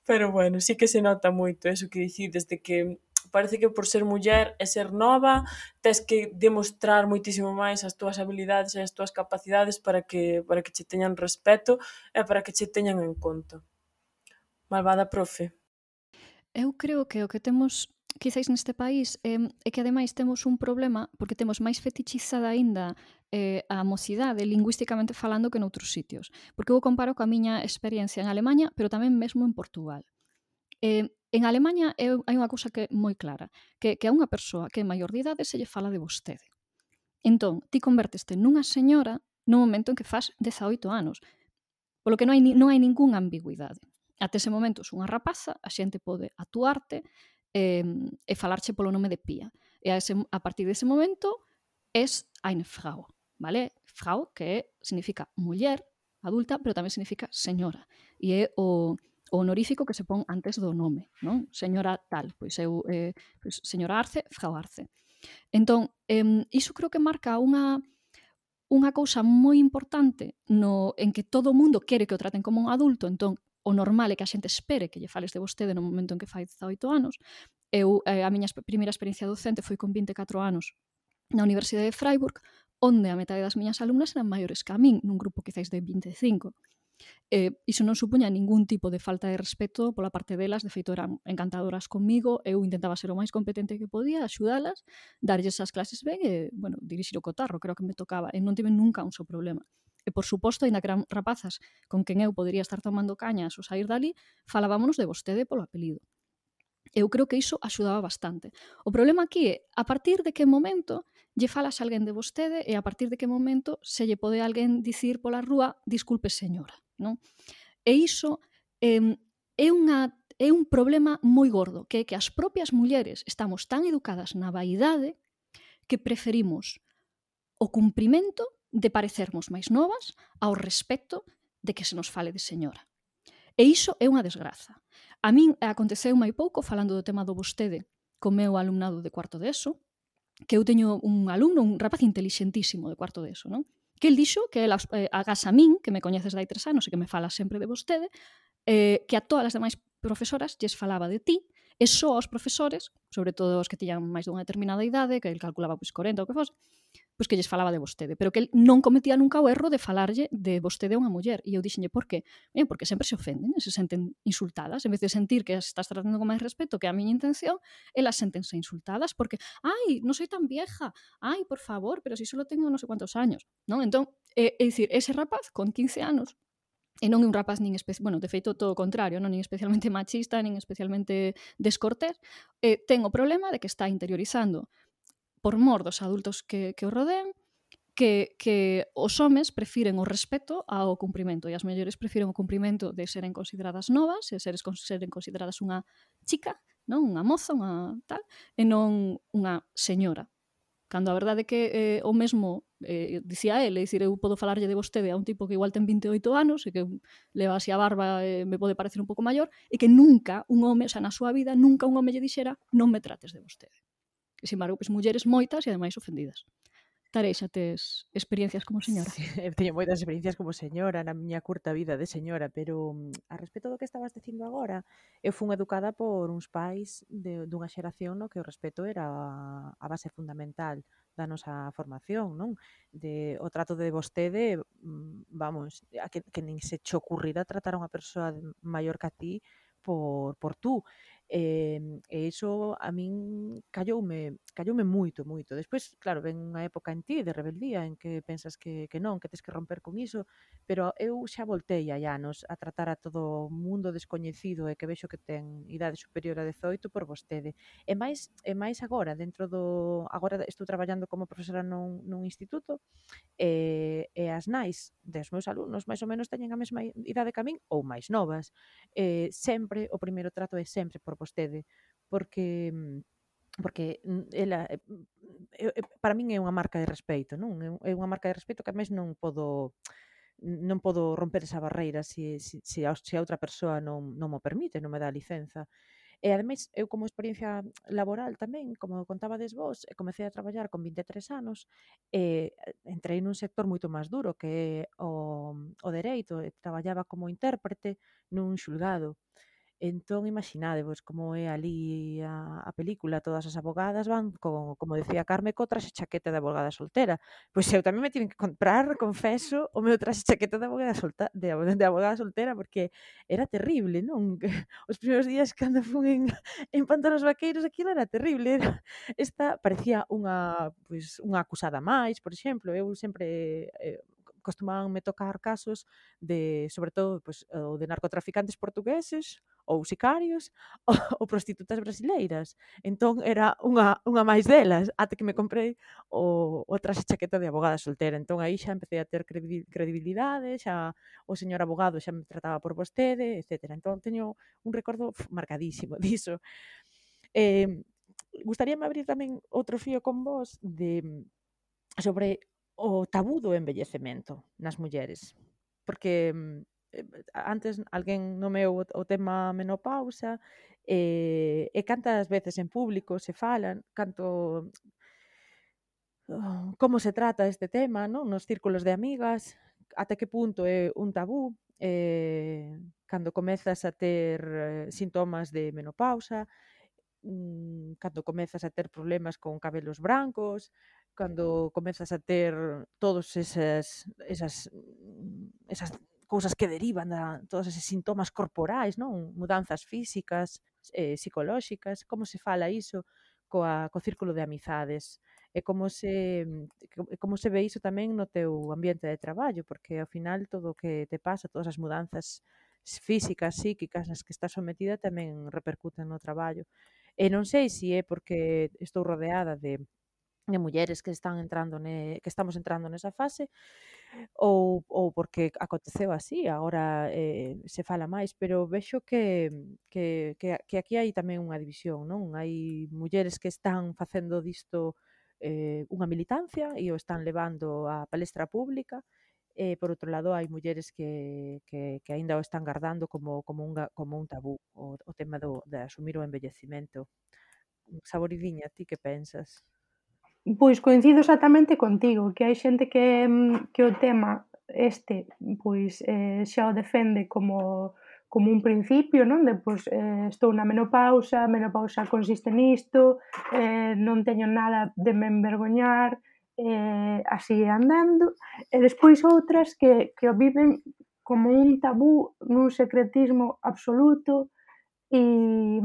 Pero bueno, sí que se nota moito eso que dicides, de que parece que por ser muller e ser nova tes que demostrar moitísimo máis as túas habilidades e as túas capacidades para que para que che teñan respeto e para que che teñan en conta. Malvada profe. Eu creo que o que temos quizáis neste país eh, é que ademais temos un problema porque temos máis fetichizada aínda eh, a mocidade lingüísticamente falando que noutros sitios. Porque eu comparo coa miña experiencia en Alemanha, pero tamén mesmo en Portugal. Eh, en Alemanha é, hai unha cousa que é moi clara, que, que a unha persoa que é maior de idade se lle fala de vostede. Entón, ti converteste nunha señora no momento en que fas dezaoito anos. Polo que non hai, non hai ningunha ambigüidade. Até ese momento es unha rapaza, a xente pode atuarte eh, e falarche polo nome de Pía. E a, ese, a partir dese momento es eine Frau, vale? Frau, que significa muller, adulta, pero tamén significa señora. E é o, o honorífico que se pon antes do nome, non? Señora tal, pois eu, eh, pois, señora Arce, Frau Arce. Entón, eh, iso creo que marca unha unha cousa moi importante no en que todo o mundo quere que o traten como un adulto, entón o normal é que a xente espere que lle fales de vostede no momento en que fai dezaoito anos. Eu, eh, a miña primeira experiencia docente foi con vinte e catro anos na Universidade de Freiburg, onde a metade das miñas alumnas eran maiores que a min, nun grupo quizáis de vinte e cinco. Eh, iso non supuña ningún tipo de falta de respeto pola parte delas, de feito eran encantadoras comigo, eu intentaba ser o máis competente que podía, axudalas, darlles as clases ben e, bueno, dirixir o cotarro, creo que me tocaba, e non tive nunca un só problema. E, por suposto, ainda que eran rapazas con quen eu podería estar tomando cañas ou sair dali, falábamos de vostede polo apelido. Eu creo que iso axudaba bastante. O problema aquí é, a partir de que momento lle falas a alguén de vostede e a partir de que momento se lle pode alguén dicir pola rúa disculpe señora, non? E iso eh, é, unha, é un problema moi gordo, que é que as propias mulleres estamos tan educadas na vaidade que preferimos o cumprimento de parecermos máis novas ao respecto de que se nos fale de señora. E iso é unha desgraza. A min aconteceu mai pouco, falando do tema do vostede, co meu alumnado de cuarto de ESO, que eu teño un alumno, un rapaz intelixentísimo de cuarto de ESO, non? Que el dixo que el, eh, agás a min, que me coñeces dai tres anos e que me fala sempre de vostede, eh, que a todas as demais profesoras lles falaba de ti, e só aos profesores, sobre todo os que tiñan máis dunha determinada idade, que el calculaba pois corenta ou que fose, pois que lles falaba de vostede, pero que el non cometía nunca o erro de falarlle de vostede a unha muller. E eu dixenlle, por qué? Ben, porque sempre se ofenden, se senten insultadas, en vez de sentir que as estás tratando con máis respeto que a miña intención, elas sentense insultadas porque, ai, non soy tan vieja, ai, por favor, pero si solo tengo non sei cuántos años, non? Entón, é, é dicir, ese rapaz con quince anos, e non é un rapaz nin espe... bueno, de feito todo o contrario, non nin especialmente machista, nin especialmente descortés, eh, ten o problema de que está interiorizando por mor dos adultos que, que o rodean, que, que os homes prefiren o respeto ao cumprimento e as mulleres prefiren o cumprimento de seren consideradas novas, e seres, seren consideradas unha chica, non? Unha moza, unha tal, e non unha señora. Cando a verdade é que eh, o mesmo eh, dicía ele, dicir, eu podo falarlle de vostede a un tipo que igual ten vinte e oito anos e que leva así a barba e me pode parecer un pouco maior, e que nunca un home, o sea, na súa vida, nunca un home lle dixera non me trates de vostede. E, sin embargo, pois, mulleres moitas e ademais ofendidas. Tareixa, tes experiencias como señora? Sí, eu teño moitas experiencias como señora na miña curta vida de señora, pero a respecto do que estabas dicindo agora, eu fun educada por uns pais de, dunha xeración no que o respeto era a base fundamental da nosa formación, non? De, o trato de vostede, vamos, a que, que nin se che ocurrirá tratar a unha persoa maior que a ti por, por tú. E, e iso a min calloume, calloume moito, moito. Despois, claro, ven unha época en ti de rebeldía en que pensas que, que non, que tes que romper con iso, pero eu xa voltei hai anos a tratar a todo o mundo descoñecido e que vexo que ten idade superior a dezoito por vostede. E máis, e máis agora, dentro do... Agora estou traballando como profesora nun, nun instituto e, e as nais dos meus alumnos máis ou menos teñen a mesma idade que a min ou máis novas. Eh, sempre, o primeiro trato é sempre por vostede, porque porque ela para min é unha marca de respeito, non? É unha marca de respeito que a mes non podo non podo romper esa barreira se, se, se, a, se a outra persoa non, non mo permite, non me dá licenza. E ademais, eu como experiencia laboral tamén, como contabades vos, comecei a traballar con vinte e tres anos, e entrei nun sector moito máis duro que é o, o dereito, e traballaba como intérprete nun xulgado. Entón, imaginadevos como é ali a, a película, todas as abogadas van, con, como decía Carme, co traxe chaqueta de abogada soltera. Pois eu tamén me tiven que comprar, confeso, o meu traxe chaqueta de abogada, solta, de, de abogada soltera, porque era terrible, non? Os primeiros días cando fun en, en pantalones vaqueiros, aquilo era terrible. Era, esta parecía unha, pois, unha acusada máis, por exemplo. Eu sempre... Eh, costumaban-me tocar casos de, sobre todo, pues, o de narcotraficantes portugueses ou sicarios ou, ou prostitutas brasileiras. Entón era unha, unha máis delas, até que me comprei o, o traxe chaqueta de abogada soltera. Entón aí xa empecé a ter credibilidade, xa o señor abogado xa me trataba por vostede, etcétera. Entón teño un recordo pf, marcadísimo diso. Eh, gustaríame abrir tamén outro fío con vos de sobre o tabú do envellecemento nas mulleres, porque antes alguén nomeou o tema menopausa e, e cantas veces en público se falan, canto como se trata este tema, non? Nos círculos de amigas, ata que punto é un tabú, eh, cando comezas a ter sintomas de menopausa, cando comezas a ter problemas con cabelos brancos, cando comezas a ter todos esas esas esas cousas que derivan da todos esos sintomas corporais, non? Mudanzas físicas, eh, psicolóxicas, como se fala iso coa co círculo de amizades e como se como se ve iso tamén no teu ambiente de traballo, porque ao final todo o que te pasa, todas as mudanzas físicas, psíquicas nas que estás sometida tamén repercuten no traballo. E non sei se é porque estou rodeada de, de mulleres que están entrando ne, que estamos entrando nesa fase ou, ou porque aconteceu así, agora eh, se fala máis, pero vexo que, que, que, que aquí hai tamén unha división, non? Hai mulleres que están facendo disto eh, unha militancia e o están levando á palestra pública. E, por outro lado, hai mulleres que, que, que aínda o están guardando como, como, un, como un tabú, o, o tema do, de asumir o envellecemento. Saboridiña, ti que pensas? Pois coincido exactamente contigo, que hai xente que, que o tema este pois eh, xa o defende como, como un principio, non? De, pois, eh, estou na menopausa, a menopausa consiste nisto, eh, non teño nada de me envergoñar, eh, así andando, e despois outras que, que o viven como un tabú, nun secretismo absoluto, e,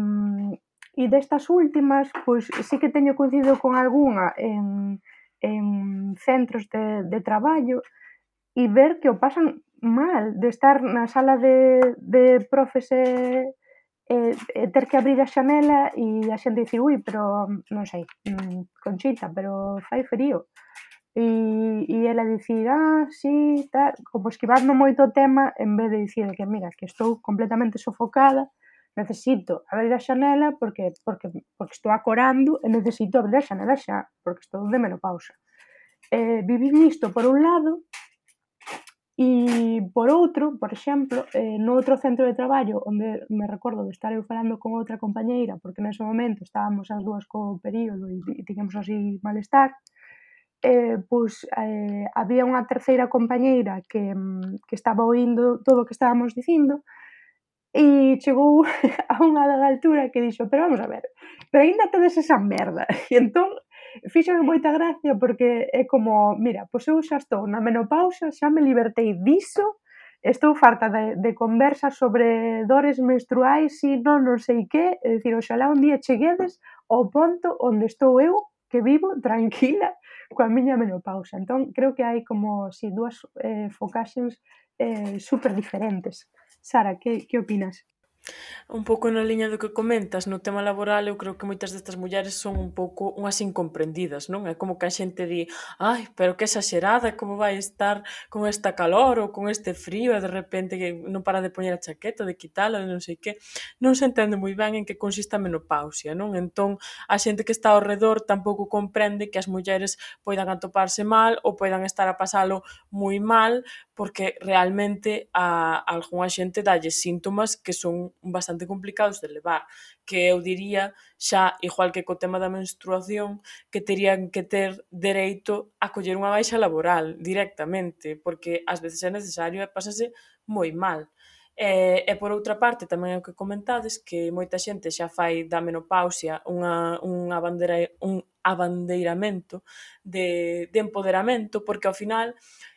e destas últimas, pois sí que teño coincidido con algunha en, en centros de, de traballo e ver que o pasan mal de estar na sala de, de profes e, e, e ter que abrir a xanela e a xente dicir, ui, pero non sei, Conchita, pero fai frío. E, e ela dicir, ah, sí, tal, como esquivando moito o tema en vez de dicir que, mira, que estou completamente sofocada, necesito abrir a xanela porque, porque, porque estou acorando e necesito abrir a xanela xa, porque estou de menopausa. Eh, vivir nisto por un lado e por outro, por exemplo, eh, no outro centro de traballo onde me recordo de estar eu falando con outra compañeira porque nese momento estábamos as dúas co período e, e tiñamos así malestar, eh, pois eh, había unha terceira compañeira que, que estaba oindo todo o que estábamos dicindo e chegou a unha dada altura que dixo, pero vamos a ver, pero aínda tedes esa merda. E entón, fíxame moita gracia porque é como, mira, pois eu xa estou na menopausa, xa me libertei diso, estou farta de, de conversas sobre dores menstruais e non non sei que, é dicir, oxalá un día cheguedes ao ponto onde estou eu, que vivo tranquila coa miña menopausa. Entón, creo que hai como, si, dúas eh, focaxes eh, super diferentes. Sara, que, que opinas? Un pouco na liña do que comentas, no tema laboral, eu creo que moitas destas mulleres son un pouco unhas incomprendidas, non? É como que a xente di, ai, pero que exagerada, como vai estar con esta calor ou con este frío, e de repente que non para de poñer a chaqueta, de quitala, de non sei que. Non se entende moi ben en que consiste a menopausia, non? Entón, a xente que está ao redor tampouco comprende que as mulleres poidan atoparse mal ou poidan estar a pasalo moi mal, porque realmente a, a algunha xente dalle síntomas que son bastante complicados de levar, que eu diría xa, igual que co tema da menstruación, que terían que ter dereito a coller unha baixa laboral directamente, porque ás veces é necesario e pásase moi mal. E, e por outra parte, tamén é o que comentades, que moita xente xa fai da menopausia unha, unha bandera, un abandeiramento de, de empoderamento, porque ao final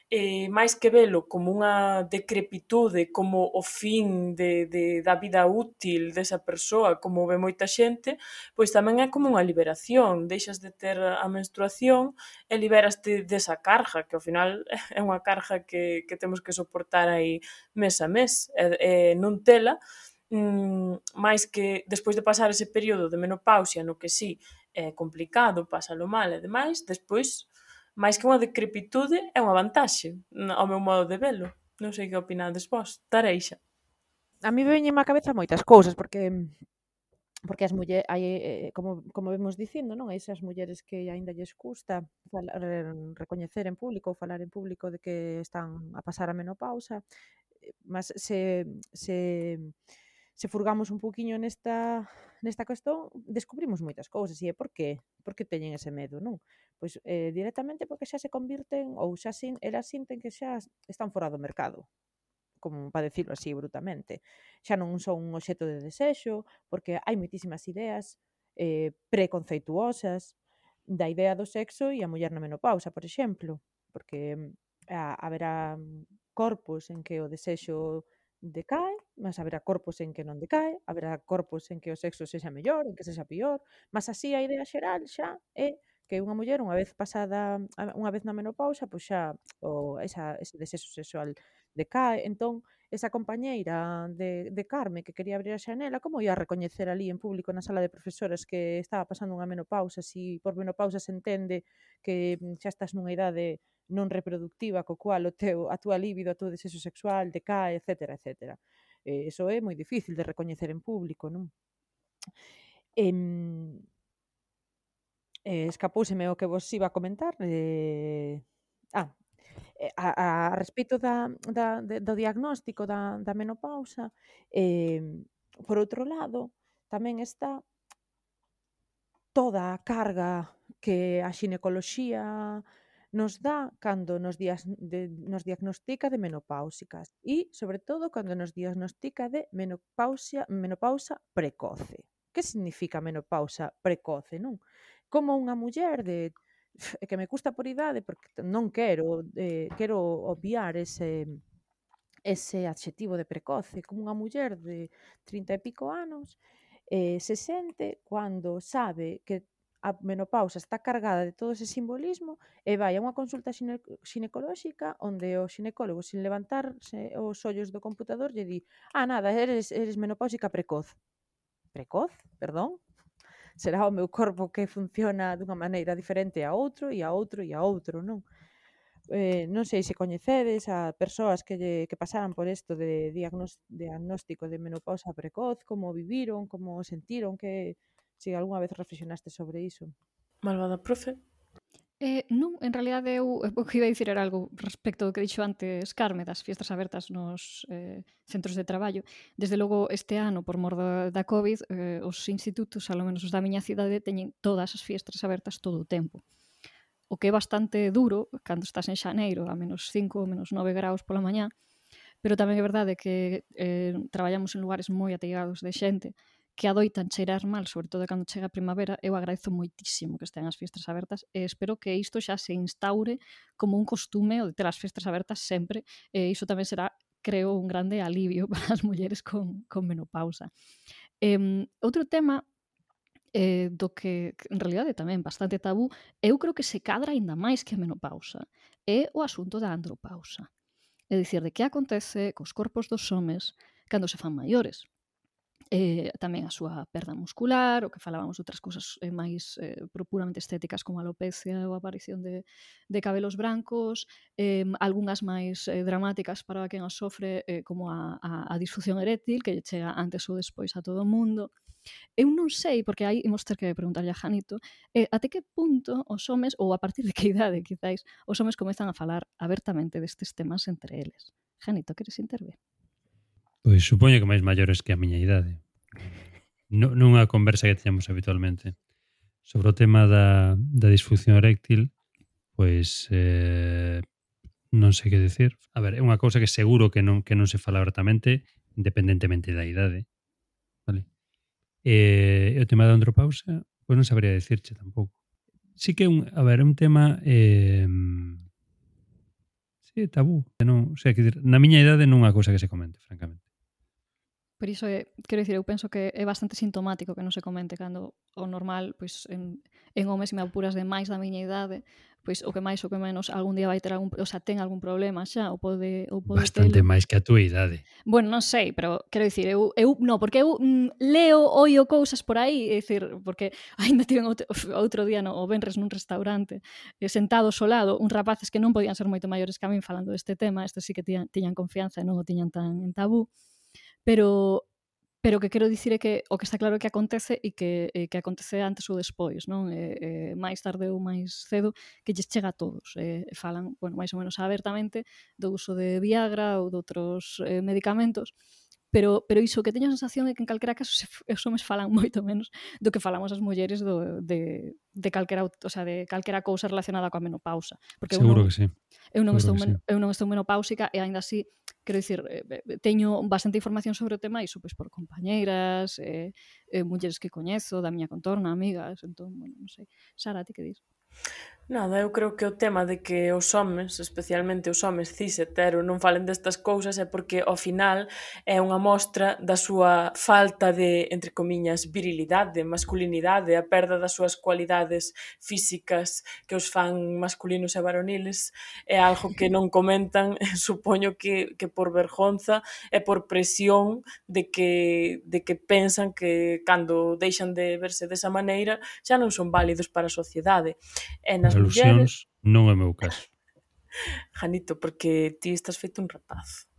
eh, máis que velo como unha decrepitude, como o fin de, de, da vida útil desa persoa, como ve moita xente, pois tamén é como unha liberación, deixas de ter a menstruación e liberaste desa carga, que ao final é unha carga que, que temos que soportar aí mes a mes, e, e non tela, mmm, máis que despois de pasar ese período de menopausia no que sí é complicado, pásalo mal e demais, despois máis que unha decrepitude, é unha vantaxe, ao meu modo de velo. Non sei que opinades vos. Tareixa. A mí veñenme á cabeza moitas cousas, porque porque as mulleres, hai, eh, como, como vemos dicindo, non? Hai esas mulleres que aínda lles custa falar, recoñecer en público ou falar en público de que están a pasar a menopausa, mas se, se, se furgamos un poquinho nesta, nesta cuestión, descubrimos moitas cousas, e é por que? Por que teñen ese medo, non? Pois eh, directamente porque xa se convirten, ou xa sin, elas sinten que xa están fora do mercado, como para decirlo así brutamente. Xa non son un obxecto de desexo, porque hai moitísimas ideas eh, preconceituosas da idea do sexo e a muller na menopausa, por exemplo, porque a, haberá corpos en que o desexo decae, mas haberá corpos en que non decae, haberá corpos en que o sexo sexa mellor, en que sexa pior, mas así a idea xeral xa é que unha muller unha vez pasada, unha vez na menopausa, pois xa o, esa, ese desexo sexual decae. Entón, esa compañeira de, de Carme que quería abrir a xanela, como ia a recoñecer ali en público na sala de profesores que estaba pasando unha menopausa, si por menopausa se entende que xa estás nunha idade non reproductiva, co cual o teu, a túa libido, a teu desexo sexual decae, etcétera, etcétera. Eh, eso é moi difícil de recoñecer en público, non? Eh, eh, escapouseme o que vos iba a comentar. Eh, ah, a, a respecto da, da, de, do diagnóstico da, da menopausa, eh, por outro lado, tamén está toda a carga que a xinecoloxía nos dá cando nos, dias, de, nos diagnostica de menopáusicas e, sobre todo, cando nos diagnostica de menopausia, menopausa precoce. Que significa menopausa precoce, non? Como unha muller de é que me custa por idade porque non quero eh, quero obviar ese ese adxetivo de precoce, como unha muller de trinta e pico anos eh, se sente cando sabe que a menopausa está cargada de todo ese simbolismo e vai a unha consulta xine xinecolóxica onde o xinecólogo, sin levantarse os ollos do computador, lle di ah, nada, eres, eres menopáusica precoz. Precoz? Perdón? Será o meu corpo que funciona dunha maneira diferente a outro e a outro e a outro, non? Eh, non sei se coñecedes a persoas que, lle, que pasaran por isto de diagnóstico de menopausa precoz, como viviron, como sentiron, que se algunha vez reflexionaste sobre iso. Malvada profe. Eh, non, en realidade eu o que iba a dicir era algo respecto do que dixo antes Carme das fiestas abertas nos eh, centros de traballo. Desde logo este ano, por mor da, da COVID, eh, os institutos, alo menos os da miña cidade, teñen todas as fiestas abertas todo o tempo. O que é bastante duro cando estás en xaneiro a menos cinco, menos nove graus pola mañá, pero tamén é verdade que eh, traballamos en lugares moi ateigados de xente que adoitan cheirar mal, sobre todo cando chega a primavera. Eu agradezo moitísimo que estean as fiestas abertas e espero que isto xa se instaure como un costume o de ter as fiestas abertas sempre, e iso tamén será, creo, un grande alivio para as mulleres con, con menopausa. Eh, outro tema eh, do que, que en realidade tamén bastante tabú, eu creo que se cadra aínda máis que a menopausa, é o asunto da andropausa. É dicir, de que acontece cos corpos dos homes cando se fan maiores. eh, tamén a súa perda muscular, o que falábamos de outras cousas eh, máis eh, puramente estéticas como a alopecia ou a aparición de, de cabelos brancos, eh, algunhas máis eh, dramáticas para quen as sofre, eh, como a, a, a disfunción eréctil, que lle chega antes ou despois a todo o mundo. Eu non sei, porque aí imos ter que preguntarlle a Janito, eh, até que punto os homes, ou a partir de que idade, quizáis, os homes comezan a falar abertamente destes temas entre eles. Janito, queres intervir? Pois supoño que máis maiores que a miña idade. Non nunha conversa que teñamos habitualmente. Sobre o tema da, da disfunción eréctil, pois eh, non sei que decir. A ver, é unha cousa que seguro que non que non se fala abertamente, independentemente da idade. Vale? E, e o tema da andropausa, pois non sabría decirche tampouco. Sí que é un, a ver, é un tema eh, sí, tabú. Non, o sea, que dir, na miña idade non é unha cousa que se comente, francamente. Por iso, é, quero dicir, eu penso que é bastante sintomático que non se comente cando o normal, pois, en, en homes, se me apuras de máis da miña idade, pois, o que máis ou que menos, algún día vai ter algún, o sea, ten algún problema xa, ou pode, ou pode Bastante telo. máis que a túa idade. Bueno, non sei, pero quero dicir, eu, eu no, porque eu mm, leo, oio cousas por aí, é dicir, porque aínda tiven outro, outro día no, o venres nun restaurante, eh, sentados ao lado, uns rapaces que non podían ser moito maiores que a min falando deste tema, estes sí que tiñan, tiñan confianza e non o tiñan tan en tabú, pero pero o que quero dicir é que o que está claro é que acontece e que, e que acontece antes ou despois, non? E, e, máis tarde ou máis cedo que lles chega a todos. E, falan, bueno, máis ou menos abertamente do uso de Viagra ou de outros eh, medicamentos, pero, pero iso que teño a sensación é que en calquera caso se, os homes falan moito menos do que falamos as mulleres do, de, de calquera, o sea, de calquera cousa relacionada coa menopausa. Porque Seguro eu non, que sí. Eu non, estou, sí. eu non estou menopáusica e aínda así, quero dicir, eh, teño bastante información sobre o tema, iso pois por compañeiras, eh, eh, mulleres que coñezo, da miña contorna, amigas, entón, bueno, non sei. Sara, ti que dis? Nada, eu creo que o tema de que os homes, especialmente os homes cis hetero, non falen destas cousas é porque ao final é unha mostra da súa falta de, entre comiñas, virilidade, masculinidade, a perda das súas cualidades físicas que os fan masculinos e varoniles, é algo que non comentan, supoño que, que por vergonza e por presión de que, de que pensan que cando deixan de verse desa maneira xa non son válidos para a sociedade. E nas Alusións non é o meu caso. Janito, porque ti estás feito un rapaz.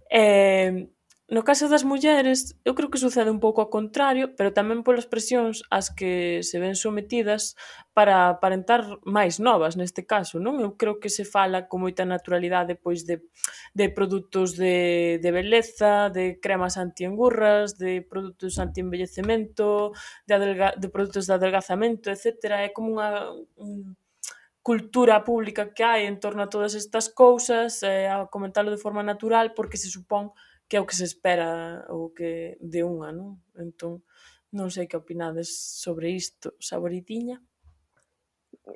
eh, no caso das mulleres, eu creo que sucede un pouco ao contrario, pero tamén polas presións ás que se ven sometidas para aparentar máis novas neste caso, non? Eu creo que se fala con moita naturalidade pois de, de produtos de, de beleza, de cremas anti-engurras, de produtos anti-envellecemento, de, adelga, de produtos de adelgazamento, etcétera. É como unha un, cultura pública que hai en torno a todas estas cousas, eh, a comentalo de forma natural porque se supón que é o que se espera ou que de unha, non? Entón, non sei que opinades sobre isto, Saboritiña.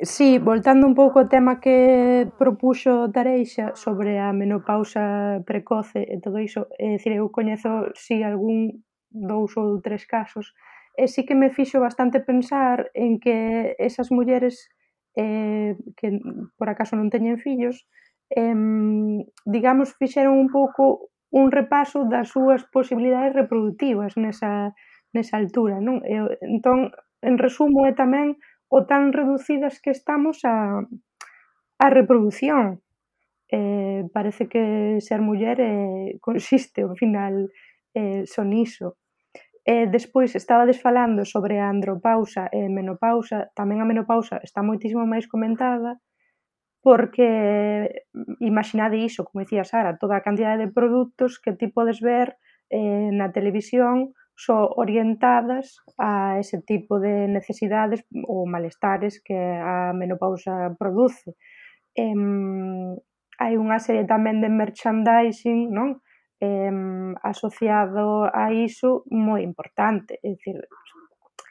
Sí, voltando un pouco ao tema que propuxo Tareixa sobre a menopausa precoce e todo iso, é dicir, eu coñezo si algún dous ou tres casos, e sí que me fixo bastante pensar en que esas mulleres eh, que por acaso non teñen fillos, eh, digamos, fixeron un pouco un repaso das súas posibilidades reproductivas nesa, nesa altura, non? E, entón, en resumo, é tamén o tan reducidas que estamos a, a reproducción. Eh, parece que ser muller eh, consiste, ao final, eh, son iso. E despois estabades falando sobre a andropausa e menopausa, tamén a menopausa está moitísimo máis comentada, porque imaginade iso, como dicía Sara, toda a cantidade de produtos que ti podes ver eh, na televisión só orientadas a ese tipo de necesidades ou malestares que a menopausa produce. Eh, hai unha serie tamén de merchandising, non? Eh, asociado a iso moi importante, é dicir,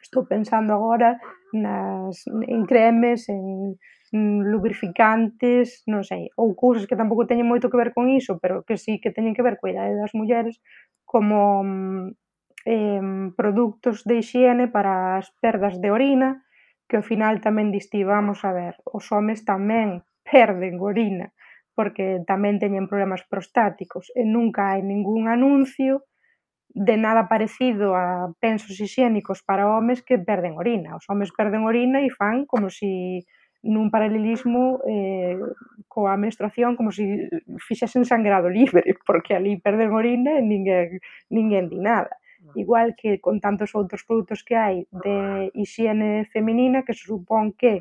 estou pensando agora nas, en cremes, en, en lubrificantes, non sei, ou cousas que tampouco teñen moito que ver con iso, pero que sí que teñen que ver coa idade das mulleres, como eh, produtos de hixiene para as perdas de orina, que ao final tamén diste, vamos a ver, os homes tamén perden orina, porque tamén teñen problemas prostáticos, e nunca hai ningún anuncio de nada parecido a pensos hixiénicos para homes que perden orina. Os homes perden orina e fan como si nun paralelismo eh, coa menstruación, como si fixesen sangrado libre, porque ali perden orina e ninguén, ninguén di nada. Igual que con tantos outros produtos que hai de hixiene feminina, que se supón que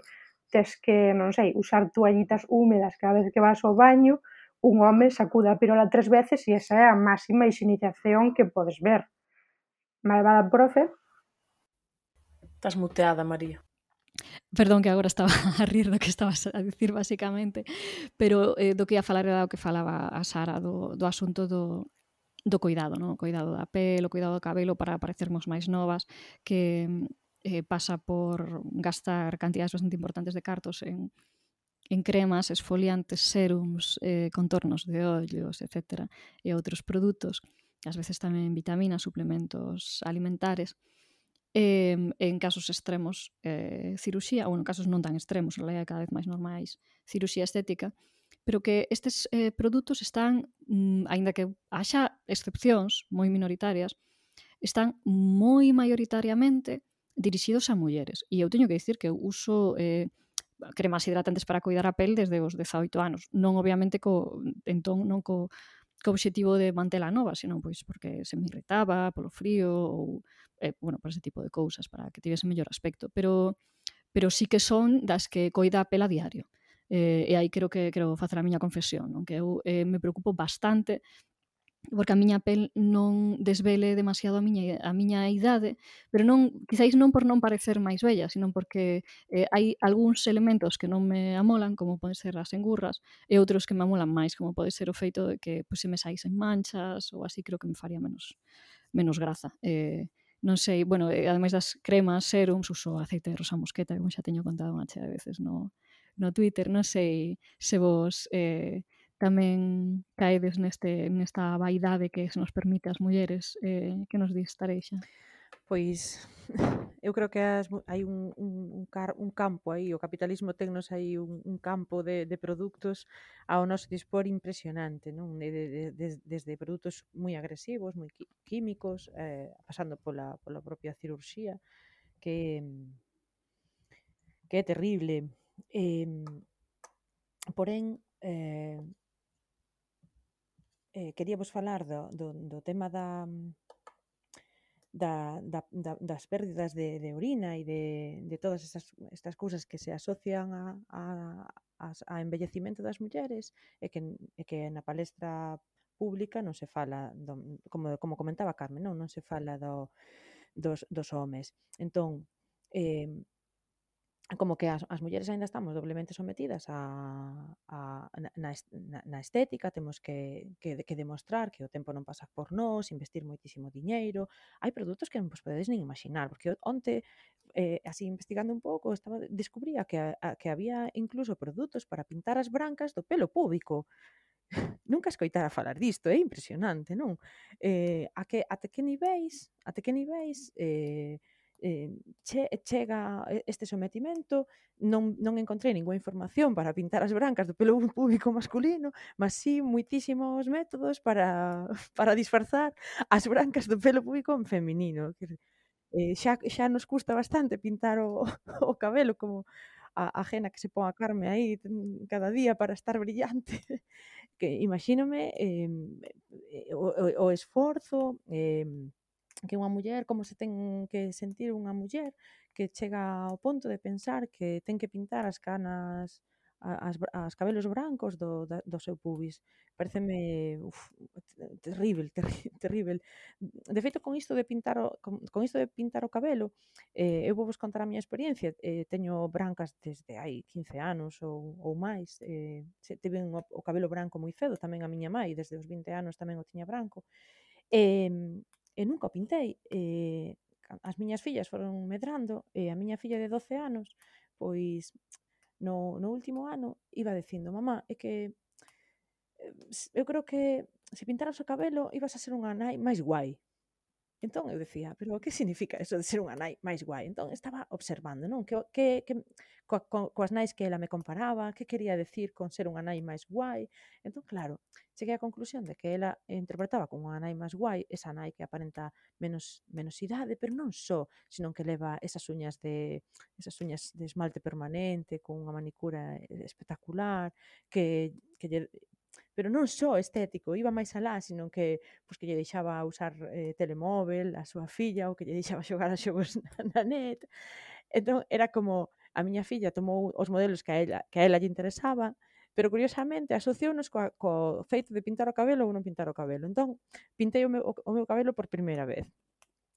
tes que, non sei, usar toallitas húmedas cada vez que vas ao baño, un home sacude a pirola tres veces e esa é a máxima hixienización que podes ver. Malvada profe. Estás muteada, María. Perdón, que agora estaba a rir do que estabas a dicir basicamente, pero eh, do que ia falar era o que falaba a Sara do, do asunto do, do cuidado, no? O cuidado da pel, o cuidado do cabelo para parecermos máis novas, que eh, pasa por gastar cantidades bastante importantes de cartos en, en cremas, esfoliantes, serums, eh, contornos de ollos, etcétera, e outros produtos, ás veces tamén vitaminas, suplementos alimentares, e, en casos extremos, eh, ciruxía, ou en casos non tan extremos, en realidad cada vez máis normais, ciruxía estética, pero que estes eh, produtos están, mm, aínda que haxa excepcións moi minoritarias, están moi maioritariamente dirixidos a mulleres. E eu teño que dicir que eu uso eh, cremas hidratantes para cuidar a pel desde os dezaoito anos. Non obviamente co, entón, non co, co obxectivo de mantela nova, senón pois porque se me irritaba polo frío ou eh, bueno, por ese tipo de cousas para que tivese mellor aspecto, pero pero sí que son das que coida a pel a diario. Eh, e aí creo que quero facer a miña confesión, non? Que eu eh, me preocupo bastante porque a miña pel non desvele demasiado a miña, a miña idade, pero non, quizáis non por non parecer máis bella, sino porque eh, hai algúns elementos que non me amolan, como poden ser as engurras, e outros que me amolan máis, como pode ser o feito de que pois, se me saísen manchas ou así, creo que me faría menos, menos graza. Eh, non sei, bueno, eh, ademais das cremas, serums, uso aceite de rosa mosqueta, como xa teño contado unha chea de veces no, no Twitter, non sei se vos eh, tamén caedes neste, nesta vaidade que se nos permite ás mulleres, eh, que nos dis, Tareixa? Pois eu creo que as, hai un, un, un, car, un campo aí, o capitalismo tennos aí un, un campo de, de produtos ao noso dispor impresionante, non? De, de, de, desde produtos moi agresivos, moi químicos, eh, pasando pola, pola propia cirurxía, que, que é terrible. Eh, porén, eh, eh, queríamos falar do, do, do tema da, da, da, da, das pérdidas de, de orina e de, de todas esas, estas cousas que se asocian a, a, a, a envellecimento das mulleres e que, e que na palestra pública non se fala, do, como, como comentaba Carmen, non, non se fala do, dos, dos homes. Entón, eh, como que as, as mulleres aínda estamos doblemente sometidas a, a, na, na, na estética, temos que, que, que demostrar que o tempo non pasa por nós, investir moitísimo diñeiro. Hai produtos que non vos podedes nin imaginar, porque onte, eh, así investigando un pouco, estaba descubría que, a, que había incluso produtos para pintar as brancas do pelo púbico. Nunca escoitara falar disto, é impresionante, non? Eh, a que, até que niveis, até que niveis... Eh, eh, che, chega este sometimento, non, non encontrei ninguna información para pintar as brancas do pelo púbico masculino, mas sí moitísimos métodos para, para disfrazar as brancas do pelo púbico en feminino. Eh, xa, xa nos custa bastante pintar o, o cabelo, como a, a Gena que se pon a Carme aí cada día para estar brillante. Que imagínome eh, o, o, o esforzo, eh, que unha muller, como se ten que sentir unha muller que chega ao ponto de pensar que ten que pintar as canas, as, as cabelos brancos do, do seu pubis. Pareceme uf, terrible, terri, terrible. De feito, con isto de pintar o, con, con isto de pintar o cabelo, eh, eu vou vos contar a miña experiencia. Eh, teño brancas desde hai quince anos ou, ou máis. Eh, tive o, o cabelo branco moi cedo, tamén a miña mãe, desde os vinte anos tamén o tiña branco. E, e nunca o pintei. E as miñas fillas foron medrando e a miña filla de doce anos, pois no, no último ano iba dicindo: mamá, é que eu creo que se pintaras o cabelo ibas a ser unha nai máis guai. Entón eu decía, pero que significa eso de ser unha nai máis guai? Entón estaba observando, non? Que, que, que co, co, coas nais que ela me comparaba, que quería decir con ser unha nai máis guai. Entón, claro, cheguei á conclusión de que ela interpretaba como unha nai máis guai esa nai que aparenta menos, menos idade, pero non só, sino que leva esas uñas de esas uñas de esmalte permanente, con unha manicura espectacular, que, que lle, pero non só estético, iba máis alá, sino que pois que lle deixaba usar eh, telemóvel a súa filla ou que lle deixaba xogar a xogos na, na net. Entón era como a miña filla tomou os modelos que a ela, que a ela lle interesaba, pero curiosamente asociounos coa, co feito de pintar o cabelo ou non pintar o cabelo. Entón pintei o meu, o, o meu cabelo por primeira vez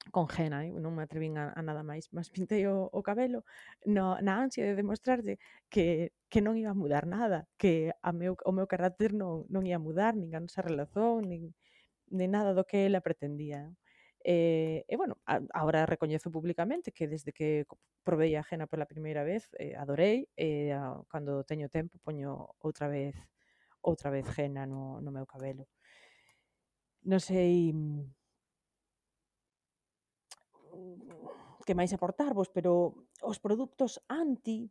con henna, eh? Non me atrevín a, a nada máis, mas pintei o, o cabelo no, na ansia de demostrarlle que, que non iba a mudar nada, que a meu, o meu carácter non, non ia mudar, nin a nosa relación, nin, nin nada do que ela pretendía. E, e bueno, a, agora recoñezo públicamente que desde que probei a henna pola primeira vez, eh, adorei, e a, cando teño tempo poño outra vez outra vez henna no, no meu cabelo. Non sei que máis aportarvos, pero os produtos anti,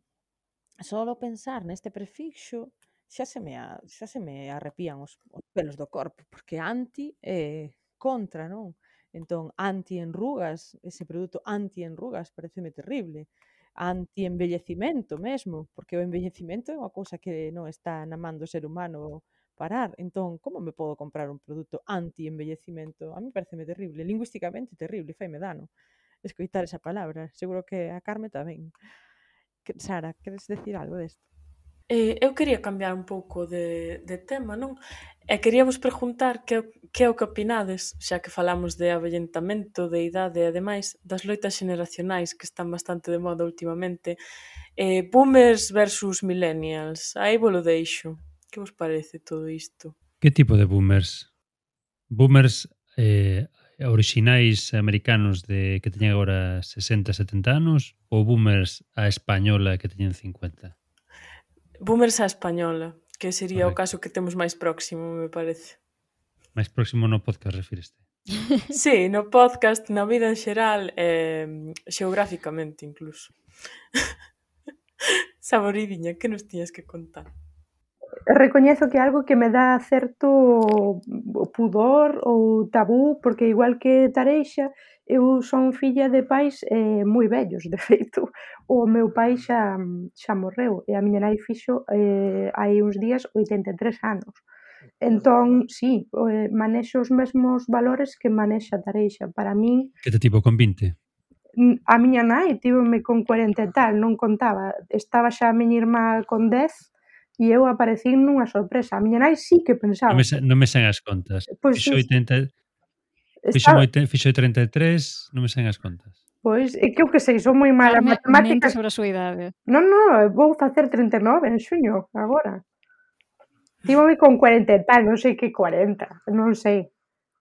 solo pensar neste prefixo, xa se me, a, xa se me arrepían os, os pelos do corpo, porque anti é eh, contra, non? Entón, anti-enrugas, ese produto anti-enrugas pareceme terrible. Anti-embellecimento mesmo, porque o embellecimento é unha cousa que non está na man do ser humano parar. Entón, como me podo comprar un produto anti-embellecimento? A mí pareceme terrible, lingüísticamente terrible, faime dano escoitar esa palabra. Seguro que a Carme tamén. Que, Sara, queres decir algo desto? Eh, eu quería cambiar un pouco de, de tema, non? E queríavos preguntar que, que é o que opinades, xa que falamos de avellentamento, de idade e ademais das loitas xeneracionais que están bastante de moda últimamente. Eh, boomers versus millennials. Aí vos lo deixo. Que vos parece todo isto? Que tipo de boomers? Boomers eh, orixinais americanos de que teñen agora sesenta, setenta anos ou boomers a española que teñen cincuenta? Boomers a española, que sería Correcto. o caso que temos máis próximo, me parece. Máis próximo no podcast refíreste? Sí, no podcast, na vida en xeral, eh, xeográficamente incluso. Saboridiña, que nos tiñas que contar? Recoñezo que é algo que me dá certo pudor ou tabú, porque igual que Tareixa, eu son filla de pais eh, moi vellos, de feito, o meu pai xa, xa morreu e a miña nai fixo eh, hai uns días oitenta e tres anos. Entón, sí, eh, manexo os mesmos valores que manexa Tareixa. Para min, Que te tipo con vinte? a miña nai tívome con cuarenta e tal, non contaba. Estaba xa a miña irmá con dez e eu aparecín nunha sorpresa. A miña nai sí que pensaba. Non me, non me sen as contas. Pois Fixo sí, oitenta, fixo, estaba, fixo trinta e tres, non me sen as contas. pois, é que eu que sei, son moi mala en Carme mente matemáticas. sobre a súa idade. Non, non, vou facer trinta e nove en xuño, agora. Tívome con cuarenta e tal, non sei que cuarenta, non sei.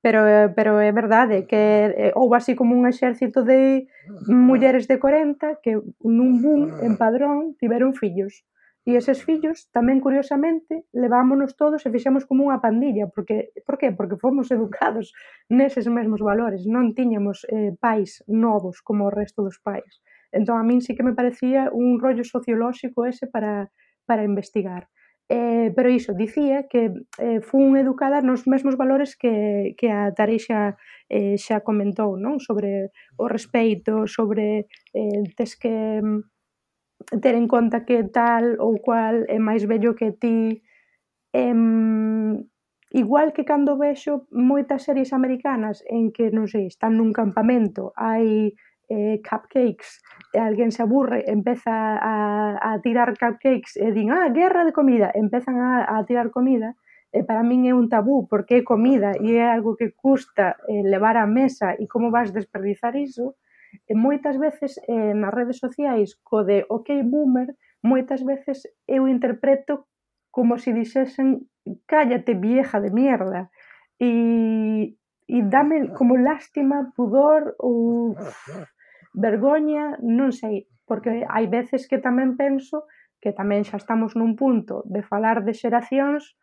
Pero, pero é verdade que eh, houve así como un exército de mulleres de corenta que nun boom, en Padrón, tiveron fillos. E eses fillos, tamén curiosamente, levámonos todos e fixemos como unha pandilla. Porque, por que? Porque fomos educados neses mesmos valores. Non tiñamos eh, pais novos como o resto dos pais. Entón, a min sí que me parecía un rollo sociolóxico ese para, para investigar. Eh, pero iso, dicía que eh, fun educada nos mesmos valores que, que a Tareixa eh, xa comentou, non? Sobre o respeito, sobre eh, tes que ter en conta que tal ou cual é máis vello que ti. Eh, igual que cando vexo moitas series americanas en que, non sei, están nun campamento, hai eh, cupcakes, e alguén se aburre, empeza a, a tirar cupcakes e din, ah, guerra de comida, empezan a, a tirar comida, e para min é un tabú, porque é comida e é algo que custa eh, levar á mesa e como vas desperdizar iso, e moitas veces eh, nas redes sociais co de ok boomer, moitas veces eu interpreto como se dixesen cállate vieja de mierda, e, e dame como lástima, pudor ou vergoña, non sei, porque hai veces que tamén penso que tamén xa estamos nun punto de falar de xeracións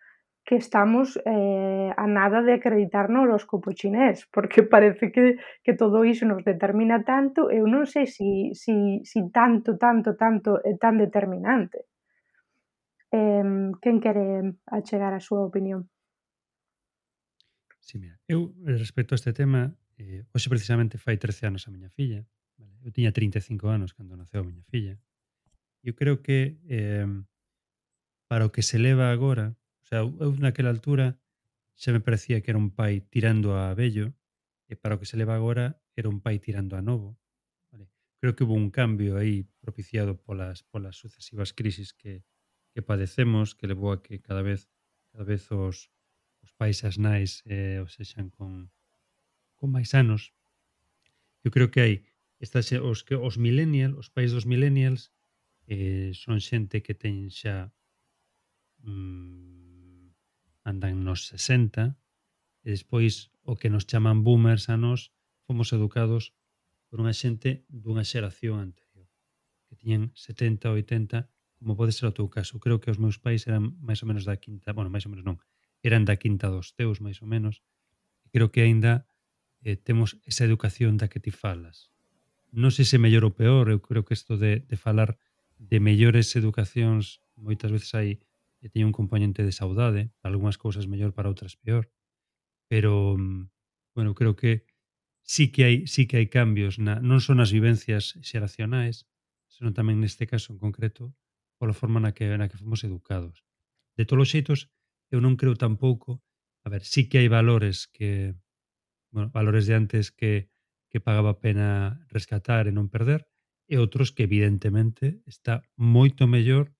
que estamos eh, a nada de acreditar no horóscopo chinés, porque parece que, que todo iso nos determina tanto, eu non sei si, si, si tanto, tanto, tanto é tan determinante. Eh, quen quere achegar a súa opinión? Sí, mira, eu eh, respecto a este tema, eh, hoxe precisamente fai trece anos a miña filla, vale? Eu tiña trinta e cinco anos cando naceu a miña filla. Eu creo que eh, para o que se leva agora, o sea, eu naquela altura xa me parecía que era un pai tirando a vello, e para o que se leva agora era un pai tirando a novo. Vale. Creo que hubo un cambio aí propiciado polas, polas sucesivas crisis que, que padecemos, que levou a que cada vez cada vez os, os pais e as nais eh, os sexan con, con máis anos. Eu creo que hai esta, xe- os, que, os millennials, os pais dos millennials eh, son xente que ten xa mm, andan nos sesenta, e despois o que nos chaman boomers a nos fomos educados por unha xente dunha xeración anterior que tiñan setenta, oitenta, como pode ser o teu caso. Creo que os meus pais eran máis ou menos da quinta, bueno, máis ou menos non, eran da quinta dos teus, máis ou menos, e creo que aínda eh, temos esa educación da que ti falas. Non sei se mellor ou peor, eu creo que isto de, de falar de mellores educacións moitas veces hai e teñe un componente de saudade, para algunhas cousas mellor, para outras peor, pero mm, bueno, creo que sí que hai sí que hai cambios na, non son as vivencias xeracionais, senón tamén neste caso en concreto pola forma na que na que fomos educados. De todos os xeitos, eu non creo tampouco, a ver, sí que hai valores que, bueno, valores de antes que que pagaba a pena rescatar e non perder, e outros que evidentemente está moito mellor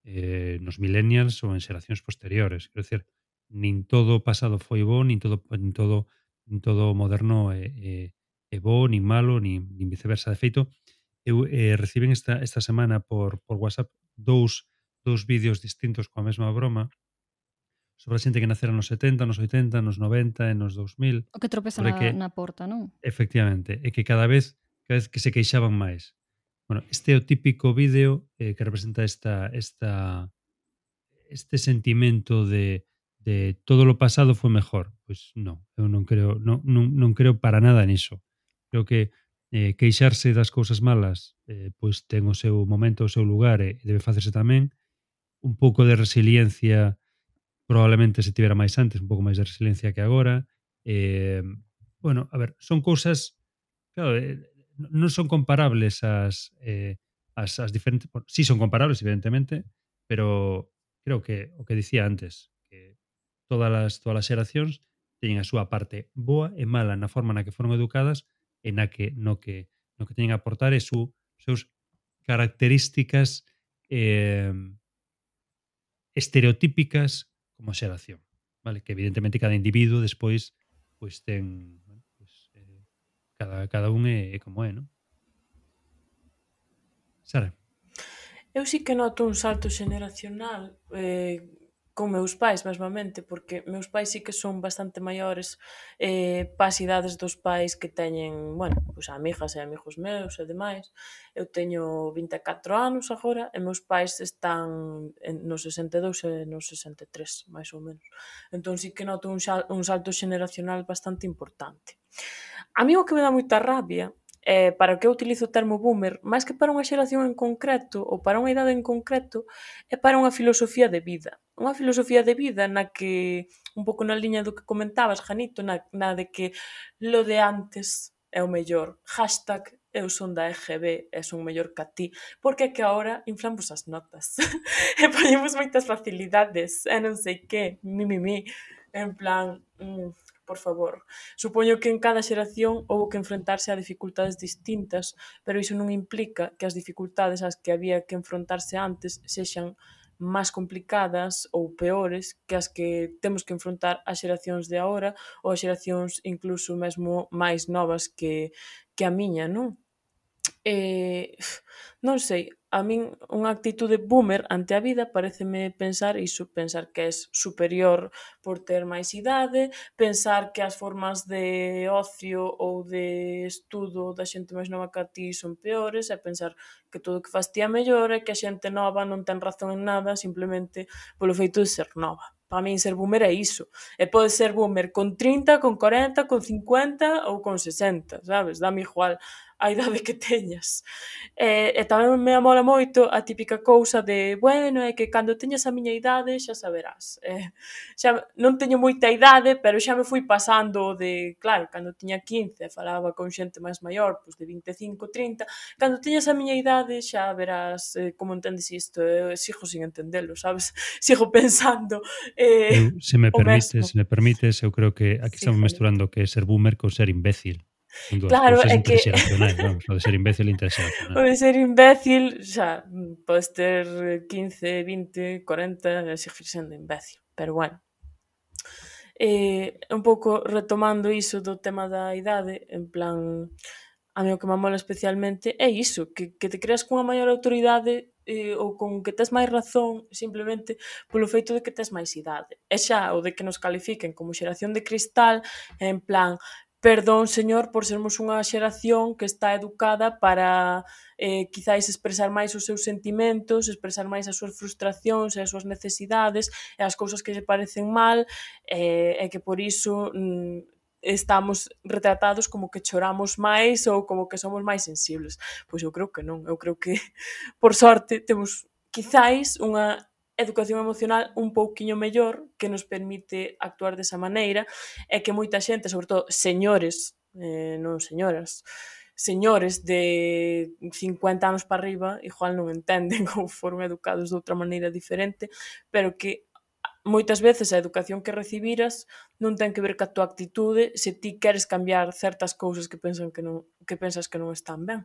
eh, nos millennials ou en xeracións posteriores. Quero dizer, nin todo o pasado foi bo, nin todo nin todo nin todo o moderno é, é, é bo, nin malo, nin, nin viceversa. De feito, eu eh, recibín esta, esta semana por, por WhatsApp dous, dous vídeos distintos coa mesma broma sobre a xente que nacera nos setenta, nos oitenta, nos noventa e nos dous mil, O que tropeza sobre na, que, na porta, non? efectivamente, e que cada vez cada vez que se queixaban máis. Bueno, este é o típico vídeo eh, que representa esta, esta, este sentimento de, de todo lo pasado foi mejor. Pois non, eu non creo, non, non, non creo para nada niso. Creo que eh, queixarse das cousas malas eh, pois ten o seu momento, o seu lugar e debe facerse tamén. Un pouco de resiliencia probablemente se tivera máis antes, un pouco máis de resiliencia que agora. Eh, bueno, a ver, son cousas, claro, eh, non son comparables as, eh, as, as diferentes, bueno, sí son comparables, evidentemente, pero creo que o que dicía antes, que todas as, todas as xeracións teñen a súa parte boa e mala na forma na que foron educadas e na que, no que, no que teñen a aportar e su, seus características eh, estereotípicas como xeración, vale? Que evidentemente cada individuo despois pois ten, bueno, pois, eh, cada, cada un é, é como é, non? Sara. Eu sí que noto un salto xeneracional eh, con meus pais, mesmamente, porque meus pais sí que son bastante maiores eh, pas idades dos pais que teñen, bueno, pois amigas e amigos meus e demais. Eu teño vinte e catro anos agora e meus pais están en, nos sesenta e dous e nos sesenta e tres, máis ou menos. Entón sí que noto un, xal, un salto xeneracional bastante importante. A mí o que me dá moita rabia eh, para o que eu utilizo o termo boomer, máis que para unha xeración en concreto ou para unha idade en concreto, é para unha filosofía de vida. Unha filosofía de vida na que, un pouco na liña do que comentabas, Janito, na, na de que lo de antes é o mellor. Hashtag eu son da E G B e son mellor que a ti, porque é que agora inflamos as notas e poñemos moitas facilidades e non sei que, mi, mi, mi, en plan... Mm, por favor. Supoño que en cada xeración houbo que enfrentarse a dificultades distintas, pero iso non implica que as dificultades ás que había que enfrontarse antes sexan máis complicadas ou peores que as que temos que enfrontar as xeracións de agora ou as xeracións incluso mesmo máis novas que, que a miña, non? Eh, non sei, a min unha actitude boomer ante a vida pareceme pensar iso, pensar que és superior por ter máis idade, pensar que as formas de ocio ou de estudo da xente máis nova que a ti son peores, e pensar que todo o que faz ti é mellor e que a xente nova non ten razón en nada simplemente polo feito de ser nova. para min ser boomer é iso. E pode ser boomer con trinta, con corenta, con cincuenta ou con sesenta, sabes? Dame igual a idade que teñas. E, e tamén me amola moito a típica cousa de, bueno, é que cando teñas a miña idade xa saberás. E, xa non teño moita idade, pero xa me fui pasando de, claro, cando tiña quince falaba con xente máis maior, pois de vinte e cinco, trinta, cando teñas a miña idade xa verás eh, como entendes isto. Eu sigo sin entendelo, sabes? Sigo pensando eh, Eu, se me o mesmo. permites, se me permites, eu creo que aquí Sí, estamos Felipe. mesturando o que é ser boomer con ser imbécil. Son dúas Claro, cousas é que interxeracionais, vamos, o de ser imbécil e o interxeracional. de ser imbécil, xa, mm, podes ter eh, quince, vinte, corenta e seguir sendo imbécil, pero bueno. Eh, un pouco retomando iso do tema da idade, en plan, a mí o que me mola especialmente é iso, que, que te creas cunha maior autoridade eh, ou con que tes máis razón simplemente polo feito de que tes máis idade. E xa o de que nos califiquen como xeración de cristal, en plan, perdón, señor, por sermos unha xeración que está educada para eh, quizáis expresar máis os seus sentimentos, expresar máis as súas frustracións e as súas necesidades e as cousas que lle parecen mal e, e que por iso mm, estamos retratados como que choramos máis ou como que somos máis sensibles. Pois eu creo que non, eu creo que por sorte temos quizáis unha educación emocional un pouquiño mellor que nos permite actuar desa maneira e que moita xente, sobre todo señores, eh, non señoras, señores de cincuenta anos para arriba, igual non entenden ou foron educados de outra maneira diferente, pero que moitas veces a educación que recibiras non ten que ver ca túa actitude se ti queres cambiar certas cousas que pensan que non que pensas que non están ben.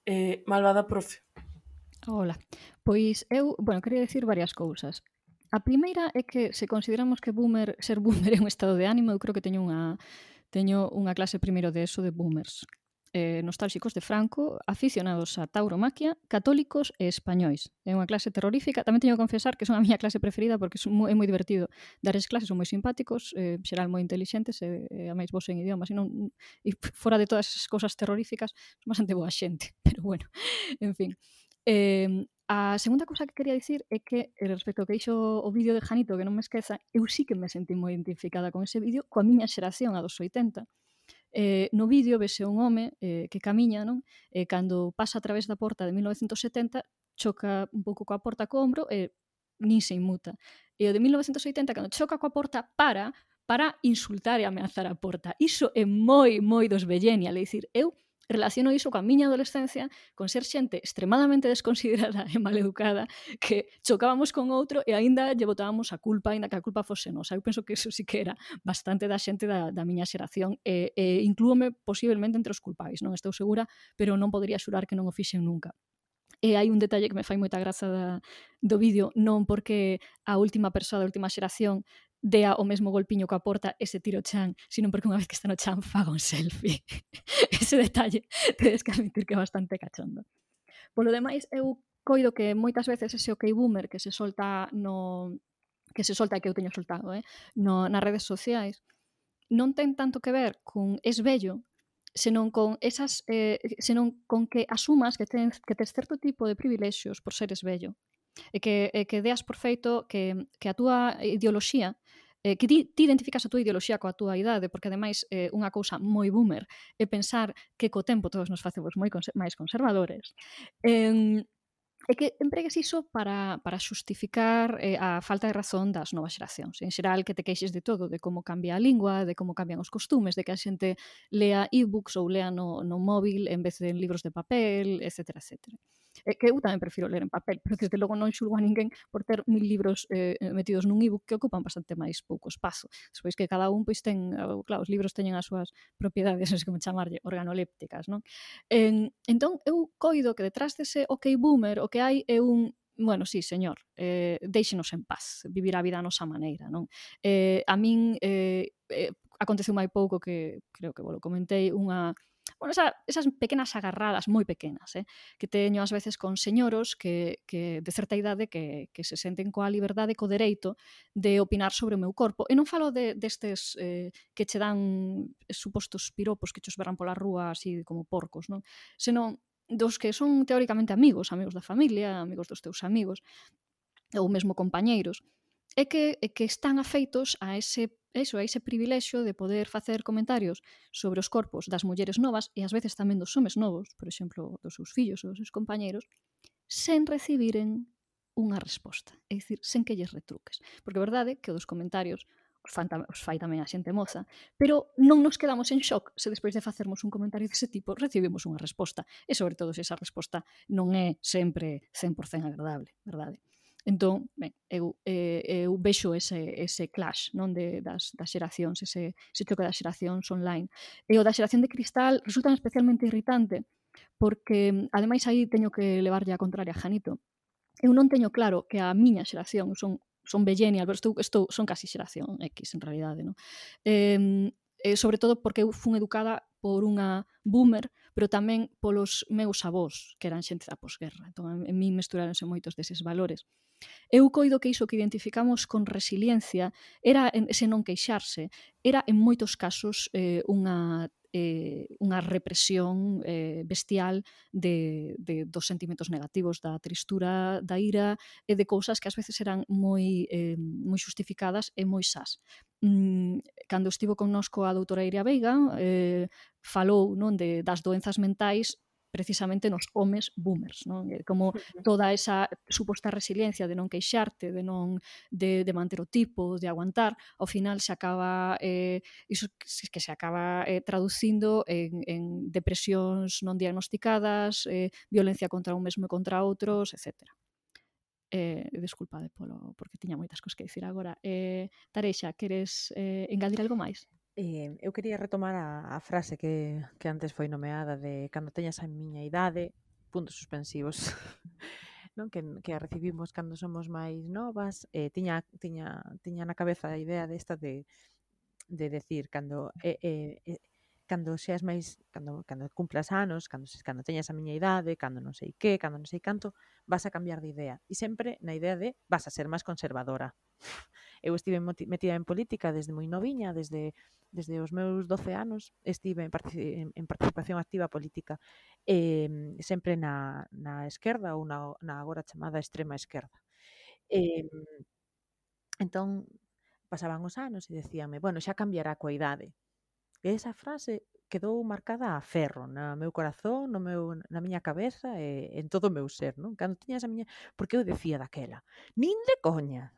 Eh, malvada profe. Hola. Pois eu, bueno, quería dicir varias cousas. A primeira é que se consideramos que boomer, ser boomer é un estado de ánimo, eu creo que teño unha teño unha clase primeiro de eso de boomers. Eh, nostálxicos de Franco, aficionados a tauromaquia, católicos e españois. É unha clase terrorífica. Tamén teño que confesar que son a miña clase preferida porque é moi, é moi divertido dar as clases, son moi simpáticos, eh, xeral moi intelixentes e, e a máis vos en idiomas e, non, e fora de todas esas cousas terroríficas son bastante boa xente, pero bueno, en fin. Eh, a segunda cousa que quería dicir é que respecto ao que dixo o vídeo de Janito, que non me esqueza, eu sí que me sentí moi identificada con ese vídeo, coa miña xeración, a dos oitenta. Eh, no vídeo vese un home eh, que camiña, non? E cando pasa a través da porta de mil novecentos setenta choca un pouco coa porta co ombro e nin se inmuta. E o de mil novecentos oitenta, cando choca coa porta, para para insultar e ameazar a porta. Iso é moi, moi dos Vellenial, é dicir, eu relaciono iso coa miña adolescencia, con ser xente extremadamente desconsiderada e maleducada, que chocábamos con outro e aínda lle botábamos a culpa, aínda que a culpa fose nosa. Eu penso que iso sí que era bastante da xente da, da miña xeración e, e inclúome posiblemente entre os culpáis, non estou segura, pero non podería xurar que non o fixen nunca. E hai un detalle que me fai moita graza da, do vídeo, non porque a última persoa da última xeración dea o mesmo golpiño coa porta e se tira o chan, sino porque unha vez que está no chan faga un selfie. Ese detalle tedes que admitir que é bastante cachondo. Polo demais, eu coido que moitas veces ese ok boomer que se solta no que se solta que eu teño soltado, eh, no, nas redes sociais, non ten tanto que ver con es bello, senón con esas eh, senón con que asumas que tens que tes certo tipo de privilexios por seres bello. E que, e que deas por feito que, que a túa ideoloxía eh, que ti, ti identificas a túa ideoloxía coa túa idade, porque ademais eh, unha cousa moi boomer é pensar que co tempo todos nos facemos moi conser- máis conservadores. Eh, é que empregues iso para, para xustificar eh, a falta de razón das novas xeracións. En xeral, que te queixes de todo, de como cambia a lingua, de como cambian os costumes, de que a xente lea e-books ou lea no, no móvil en vez de en libros de papel, etcétera, etcétera. É que eu tamén prefiro ler en papel, pero desde logo non xulgo a ninguén por ter mil libros eh, metidos nun e-book que ocupan bastante máis pouco espazo. Despois que cada un pois ten, claro, os libros teñen as súas propiedades, non sei como chamarlle, organolépticas, non? En, entón, eu coido que detrás dese ok boomer o que hai é un bueno, sí, señor, eh, deixenos en paz, vivir a vida a nosa maneira, non? Eh, a min eh, eh, aconteceu mai pouco que, creo que vos lo comentei, unha bueno, esa, esas pequenas agarradas moi pequenas, eh, que teño ás veces con señoros que, que de certa idade que, que se senten coa liberdade, co dereito de opinar sobre o meu corpo. E non falo de, destes eh, que che dan supostos piropos que chos verán pola rúa así como porcos, non? Senón dos que son teóricamente amigos, amigos da familia, amigos dos teus amigos, ou mesmo compañeiros, é que, é que están afeitos a ese eso, a ese privilexio de poder facer comentarios sobre os corpos das mulleres novas e ás veces tamén dos homes novos, por exemplo, dos seus fillos ou dos seus compañeiros, sen recibiren unha resposta, é dicir, sen que lles retruques. Porque a verdade é que o dos comentarios os, fan, os fai tamén a xente moza, pero non nos quedamos en shock se despois de facermos un comentario dese tipo recibimos unha resposta, e sobre todo se esa resposta non é sempre cen por cento agradable, verdade? Entón, ben, eu, eh, eu vexo ese, ese clash non de, das, das xeracións, ese, ese choque das xeracións online. E o da xeración de cristal resulta especialmente irritante porque, ademais, aí teño que levarlle a contraria a Janito. Eu non teño claro que a miña xeración, son, son vellenial, pero estou, estou, son casi xeración X, en realidade, non? Eh, eh, sobre todo porque eu fun educada por unha boomer, pero tamén polos meus avós, que eran xente da posguerra. Entón, en mí mesturaronse moitos deses valores. Eu coido que iso que identificamos con resiliencia era ese non queixarse, era en moitos casos eh, unha eh, unha represión eh, bestial de, de, dos sentimentos negativos, da tristura, da ira e de cousas que ás veces eran moi, eh, moi justificadas e moi sás. Mm, cando estivo connosco a doutora Iria Veiga, eh, falou non de, das doenzas mentais precisamente nos homes boomers, non? Como toda esa suposta resiliencia de non queixarte, de non de, de manter o tipo, de aguantar, ao final se acaba eh, iso que se acaba eh, traducindo en, en depresións non diagnosticadas, eh, violencia contra un mesmo e contra outros, etcétera. Eh, desculpade polo, porque tiña moitas cosas que dicir agora. Eh, Tareixa, queres eh, engadir algo máis? Eh, eu quería retomar a, a frase que, que antes foi nomeada de cando teñas a miña idade, puntos suspensivos, non? Que, que a recibimos cando somos máis novas. Eh, tiña, tiña, tiña na cabeza a idea desta de, de decir, cando, eh, eh, eh, cando seas máis, cando, cando cumplas anos, cando, cando teñas a miña idade, cando non sei que, cando non sei canto, vas a cambiar de idea. E sempre na idea de vas a ser máis conservadora. Eu estive metida en política desde moi noviña, desde, desde os meus doce anos, estive en, partici en participación activa política, eh, sempre na, na esquerda ou na, na agora chamada extrema esquerda. Eh, entón, pasaban os anos e decíame, bueno, xa cambiará coa idade. E esa frase quedou marcada a ferro na meu corazón, no meu, na miña cabeza e en todo o meu ser, non? Cando tiñas a miña... Porque eu decía daquela, nin de coña,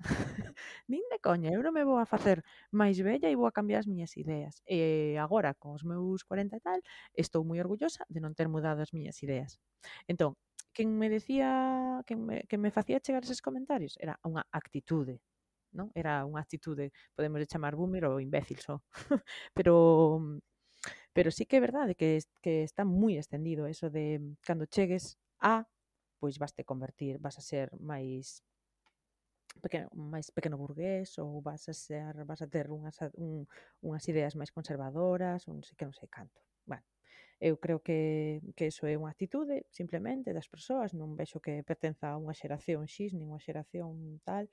nin de coña, eu non me vou a facer máis bella e vou a cambiar as miñas ideas. E agora, con os meus cuarenta e tal, estou moi orgullosa de non ter mudado as miñas ideas. Entón, quen me decía, quen me, quen me facía chegar eses comentarios era unha actitude, non? Era unha actitude, podemos chamar boomer ou imbécil só. pero pero sí que é verdade que, que está moi extendido eso de cando chegues a, pois vas te convertir, vas a ser máis pequeno, máis pequeno burgués ou vas a ser, vas a ter unhas, un, unhas ideas máis conservadoras, un sei que non sei canto. Bueno, eu creo que, que eso é unha actitude simplemente das persoas, non vexo que pertenza a unha xeración X, nin unha xeración tal,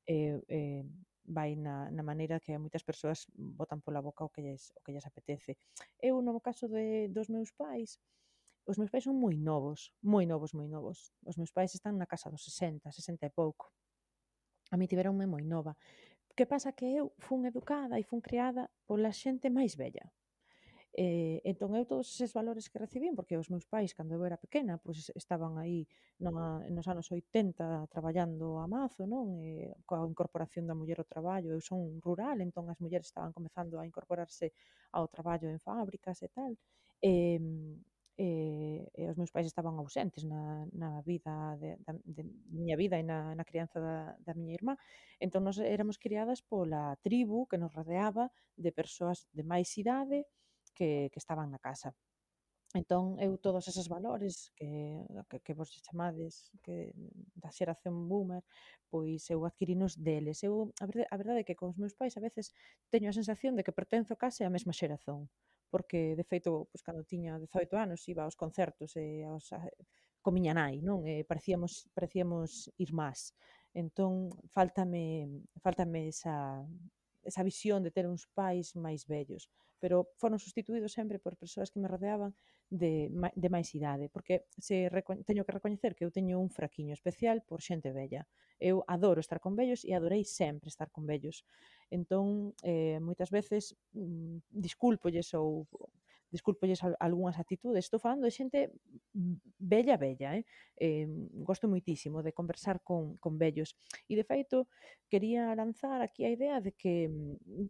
e eh, eh, vai na, na maneira que moitas persoas botan pola boca o que lles, o que lles apetece. Eu, no caso de, dos meus pais, os meus pais son moi novos, moi novos, moi novos. Os meus pais están na casa dos sesenta, sesenta e pouco. A mí tiveronme moi nova. Que pasa que eu fun educada e fun criada pola xente máis bella. Eh, entón eu todos eses valores que recibín, porque os meus pais cando eu era pequena pois estaban aí na, nos anos oitenta traballando a mazo, non? E, coa incorporación da muller ao traballo, eu son rural, entón as mulleres estaban comezando a incorporarse ao traballo en fábricas e tal, e, e, e os meus pais estaban ausentes na, na vida de, da, de miña vida e na, na crianza da, da miña irmá, entón nos éramos criadas pola tribu que nos rodeaba de persoas de máis idade que, que estaban na casa. Entón, eu todos eses valores que, que, que vos chamades que da xeración boomer, pois eu adquirinos deles. Eu, a verdade, a verdade é que con os meus pais a veces teño a sensación de que pertenzo case á mesma xeración, porque, de feito, pois, cando tiña dezoito anos iba aos concertos e aos, a, con miña nai, non? E parecíamos, parecíamos irmás. Entón, faltame, faltame esa... esa visión de ter uns pais máis vellos, pero foron sustituídos sempre por persoas que me rodeaban de, de máis idade, porque se teño que recoñecer que eu teño un fraquiño especial por xente vella. Eu adoro estar con vellos e adorei sempre estar con vellos. Entón, eh, moitas veces mm, discúlpolles ou discúlpolles algunhas actitudes. Estou falando de xente bella, bella, eh? eh gosto moitísimo de conversar con, con vellos. E, de feito, quería lanzar aquí a idea de que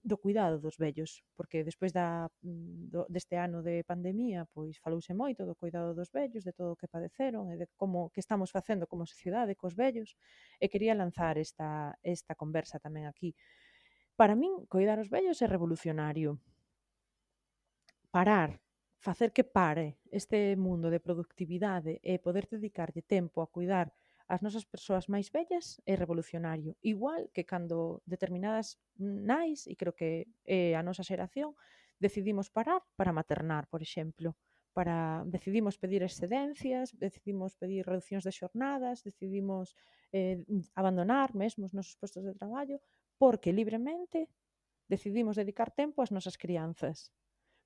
do cuidado dos vellos, porque despois da, do, deste ano de pandemia, pois falouse moito do cuidado dos vellos, de todo o que padeceron e de como que estamos facendo como sociedade cos vellos, e quería lanzar esta, esta conversa tamén aquí. Para min, cuidar os vellos é revolucionario. Parar, facer que pare este mundo de productividade e poder dedicarlle tempo a cuidar as nosas persoas máis vellas é revolucionario. Igual que cando determinadas nais, e creo que é a nosa xeración, decidimos parar para maternar, por exemplo. Para, decidimos pedir excedencias, decidimos pedir reduccións de xornadas, decidimos eh, abandonar mesmo os nosos postos de traballo, porque libremente decidimos dedicar tempo ás nosas crianzas.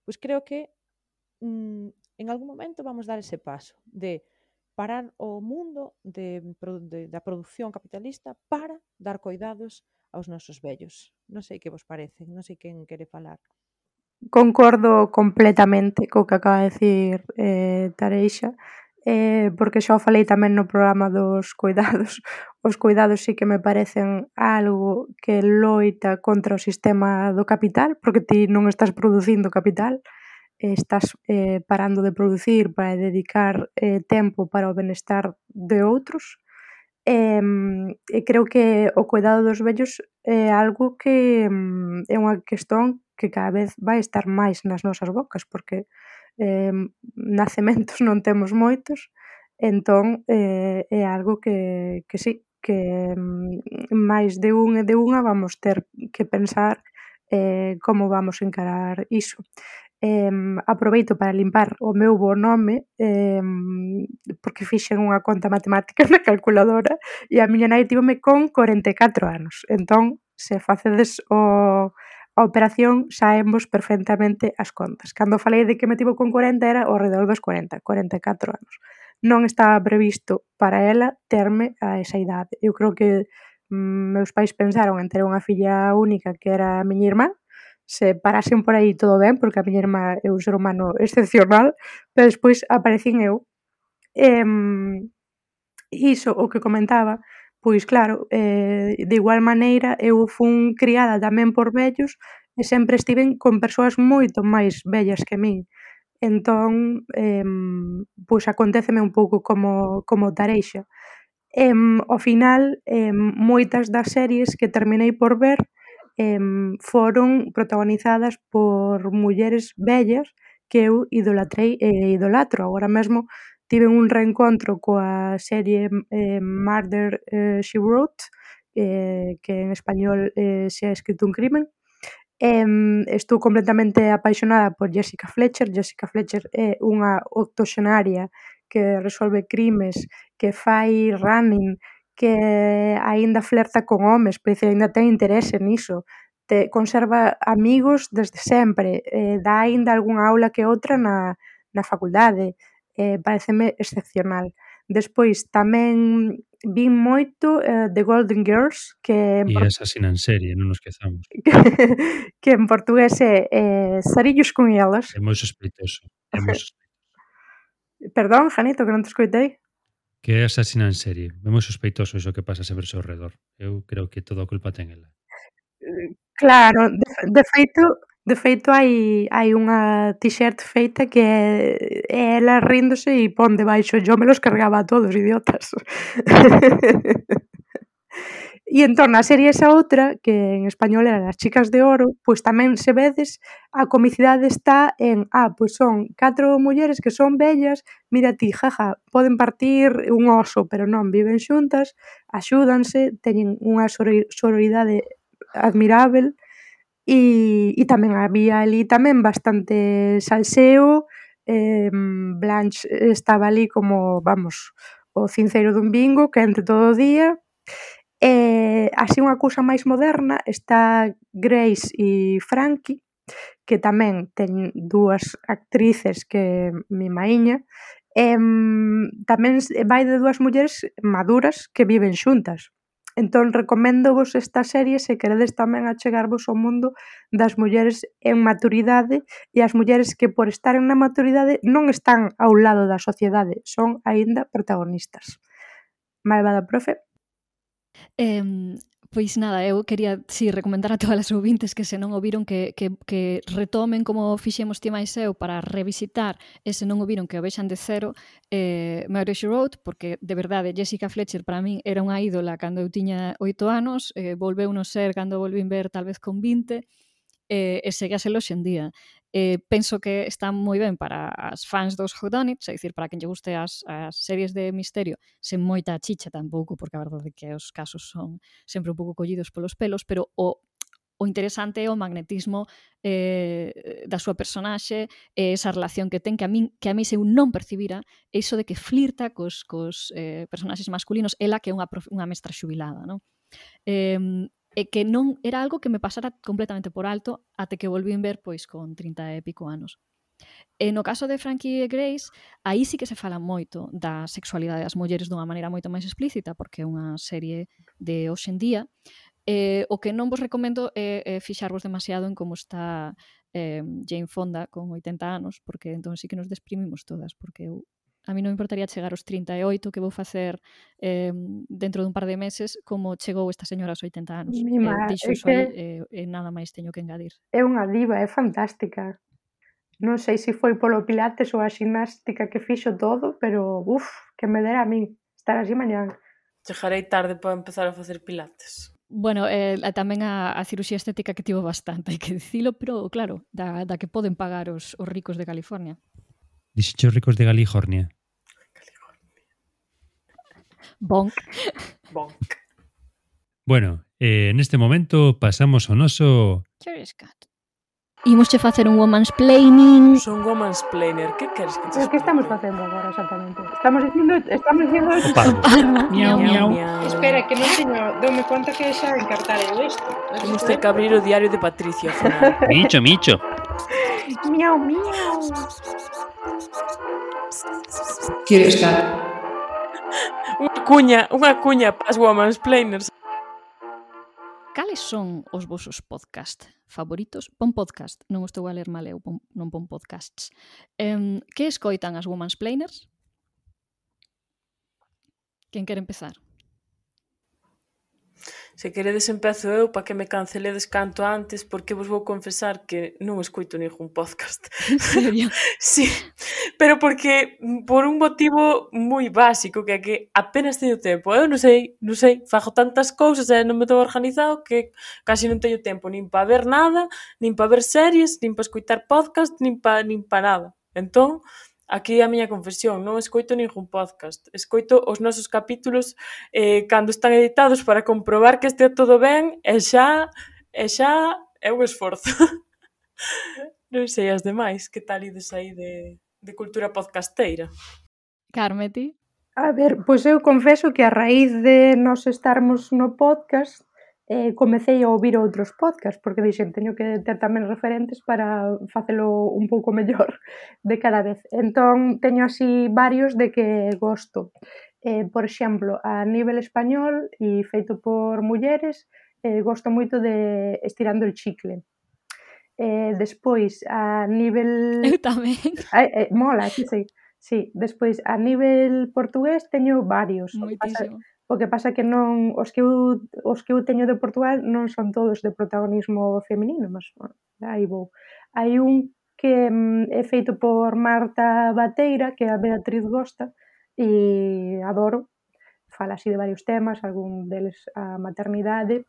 Pois creo que mm, en algún momento vamos dar ese paso de parar o mundo de, de, da produción capitalista para dar cuidados aos nosos vellos. Non sei que vos parece, non sei quen quere falar. Concordo completamente co que acaba de dicir eh, Tareixa, eh, porque xa o falei tamén no programa dos cuidados. Os cuidados sí que me parecen algo que loita contra o sistema do capital, porque ti non estás producindo capital, estás eh, parando de producir para dedicar eh, tempo para o benestar de outros. E, e creo que o cuidado dos vellos é algo que é unha cuestión que cada vez vai estar máis nas nosas bocas, porque eh, nacementos non temos moitos, entón eh, é algo que, que sí, que máis de un e de unha vamos ter que pensar eh, como vamos encarar iso. Eh, aproveito para limpar o meu bo nome eh, porque fixen unha conta matemática na calculadora e a miña nai tivome con corenta e catro anos. Entón, se facedes o, a operación, saemos perfectamente as contas. Cando falei de que me tivo con corenta era ao redor dos corenta, corenta e catro anos. Non estaba previsto para ela terme a esa idade. Eu creo que mm, meus pais pensaron en ter unha filla única que era a miña irmá. Se parasen por aí todo ben, porque a miña irmá é un ser humano excepcional, pero despois aparecín eu. E, iso, o que comentaba, pois claro, eh, de igual maneira eu fun criada tamén por vellos e sempre estiven con persoas moito máis vellas que min. Entón, eh, pois aconteceme un pouco como, como Tareixa. E, ao final, eh, moitas das series que terminei por ver eh, foron protagonizadas por mulleres vellas que eu idolatrei e idolatro. Agora mesmo tive un reencontro coa serie eh, Murder eh, She Wrote, eh, que en español eh, se ha escrito un crimen. Eh, estou completamente apaixonada por Jessica Fletcher. Jessica Fletcher é unha octoxenaria que resolve crimes, que fai running, que aínda flerta con homes, pero aínda ten interese niso, te conserva amigos desde sempre, eh, dá aínda algunha aula que outra na, na facultade, eh, pareceme excepcional. Despois tamén vin moito eh, The Golden Girls, que E Asasina en serie, non nos quezamos. que en portugués é eh, Sarillos con elas. É moi sospeitoso, é moi sospeitoso. Perdón, Janito, que non te escoitei. Que é asasina en serie. É moi sospeitoso iso que pasa sempre ao seu redor. Eu creo que toda a culpa ten ela. Claro, de, de feito, de feito hai hai unha t-shirt feita que é, é ela ríndose e pon debaixo yo me los cargaba a todos, idiotas. E entón, na serie esa outra, que en español eran As chicas de oro, pois tamén se vedes, a comicidade está en, ah, pois son catro mulleres que son bellas, mira ti, jaja, poden partir un oso, pero non, viven xuntas, axúdanse, teñen unha sororidade admirável, e, e tamén había ali tamén bastante salseo, eh, Blanche estaba ali como, vamos, o cinceiro dun bingo, que entre todo o día. E así unha cousa máis moderna está Grace e Frankie, que tamén ten dúas actrices que mi maíña, e tamén vai de dúas mulleres maduras que viven xuntas. Entón, recoméndovos esta serie se queredes tamén achegarvos ao mundo das mulleres en maturidade e as mulleres que por estaren na maturidade non están ao lado da sociedade, son aínda protagonistas. Malvada profe. Eh, pois nada, eu quería si recomendar a todas as ouvintes que se non o viron que, que, que retomen como fixemos ti máis eu para revisitar e se non o viron que o vexan de cero eh, Murder, She Wrote, porque de verdade Jessica Fletcher para min era unha ídola cando eu tiña oito anos, eh, volveu no ser cando volvín ver tal vez con vinte e, e segue a ser hoxe en día. Eh, penso que está moi ben para as fans dos whodunits, é dicir, para quen lle guste as, as series de misterio sen moita chicha tampouco, porque a verdade é que os casos son sempre un pouco collidos polos pelos, pero o, o interesante é o magnetismo eh, da súa personaxe e esa relación que ten que a min que a mí se eu non percibira iso de que flirta cos, cos eh, personaxes masculinos, ela que é unha, unha mestra xubilada, non? Eh, e que non era algo que me pasara completamente por alto até que volvín ver pois con trinta e pico anos. E no caso de Frankie e Grace, aí sí que se fala moito da sexualidade das mulleres dunha maneira moito máis explícita, porque é unha serie de hoxe en día. Eh, o que non vos recomendo é, é fixarvos demasiado en como está eh, Jane Fonda con oitenta anos, porque entón sí que nos desprimimos todas, porque eu a mí non me importaría chegar aos trinta e oito que vou facer eh, dentro dun par de meses como chegou esta señora aos oitenta anos. Mima, Eh, dixo é iso aí que e eh, nada máis teño que engadir. É unha diva, é fantástica. Non sei se foi polo pilates ou a ximnástica que fixo todo, pero uf, que me dera a min estar así mañán. Chegarei tarde para empezar a facer pilates. Bueno, eh, tamén a, a cirurxía estética que tivo bastante, hai que dicilo, pero claro, da, da que poden pagar os, os ricos de California. Dixecho ricos de California. Bonk. Bonk. Bueno, eh, en este momento pasamos ao noso... Curious Cat. Imosche facer un woman's planning. Son woman's planner. Que queres que te Pero que explique? estamos facendo agora exactamente? Estamos dicindo, estamos dicindo O parvo. Miau, miau. Espera, que non teño, doume conta que xa encartarei isto. Temos que abrir o diario de Patricia ao final. Micho, micho. Miau, miau. Curious Cat. Unha cuña, unha cuña para as woman's planners. Cales son os vosos podcast favoritos? Pon podcast, non estou a ler mal eu, pon, non pon podcasts. Um, que escoitan as woman's planners? Quen quere empezar? Se queredes empezo eu para que me canceledes canto antes, porque vos vou confesar que non escoito ningún podcast. En serio? Sí, pero porque por un motivo moi básico, que é que apenas teño tempo. Eu non sei, non sei, fago tantas cousas e non me estou organizado que casi non teño tempo nin para ver nada, nin para ver series, nin para escoitar podcast, nin para nin para nada. Entón, aquí a miña confesión, non escoito ningún podcast. Escoito os nosos capítulos eh, cando están editados para comprobar que estea todo ben e xa, e xa é un esforzo. Non sei as demais, que tal ides aí de, de cultura podcasteira? Carme, ti? A ver, pois eu confeso que a raíz de nos estarmos no podcast eh, comecei a ouvir outros podcasts, porque dixen, teño que ter tamén referentes para facelo un pouco mellor de cada vez. Entón, teño así varios de que gosto. Eh, por exemplo, a nivel español e feito por mulleres, eh, gosto moito de Estirando el chicle. Eh, despois, a nivel... Eu tamén. Ai, eh, mola, que sei. Sí, despois, a nivel portugués teño varios. O que pasa, Moitísimo. o que pasa que non os que eu os que eu teño de Portugal non son todos de protagonismo feminino, mas bueno, aí vou. Hai un que mm, é feito por Marta Bateira, que a Beatriz gosta e adoro. Fala así de varios temas, algún deles a maternidade.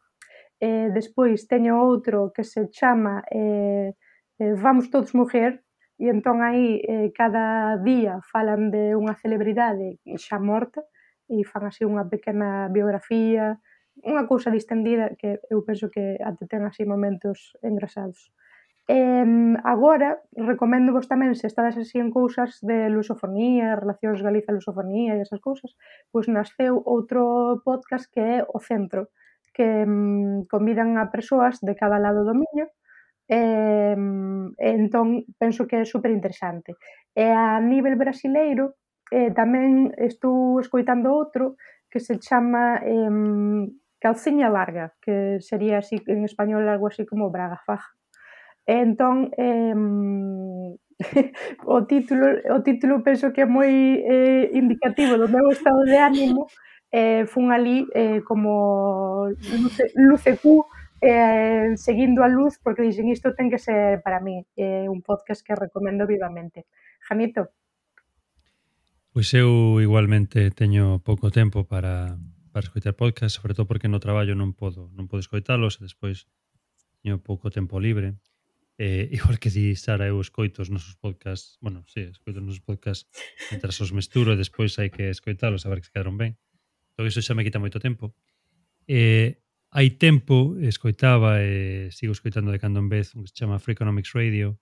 Eh, despois teño outro que se chama eh, eh, Vamos todos mujer, e entón aí eh, cada día falan de unha celebridade xa morta e fan así unha pequena biografía, unha cousa distendida que eu penso que até ten así momentos engrasados. E agora, recomendo vos tamén, se estades así en cousas de lusofonía, relacións Galiza-lusofonía e esas cousas, pois nasceu outro podcast que é O Centro, que mm, convidan a persoas de cada lado do miño, e, e entón penso que é super interesante. E a nivel brasileiro, eh, tamén estou escoitando outro que se chama eh, Calciña Larga, que sería así en español algo así como Braga Faja. E entón, eh, o título o título penso que é moi eh, indicativo do meu estado de ánimo, eh, fun ali eh, como luce, luce Q, eh, seguindo a luz, porque dixen isto ten que ser para mí, é eh, un podcast que recomendo vivamente. Janito? Pois eu igualmente teño pouco tempo para, para escoitar podcast, sobre todo porque no traballo non podo non podo escoitalos e despois teño pouco tempo libre. Eh, igual que di Sara, eu escoito os nosos podcasts, bueno, sí, escoito os nosos podcasts mentras os mesturo e despois hai que escoitalos a ver que se quedaron ben. Todo iso xa me quita moito tempo. Eh, hai tempo escoitaba e sigo escoitando de cando en vez un que se chama Free Economics Radio,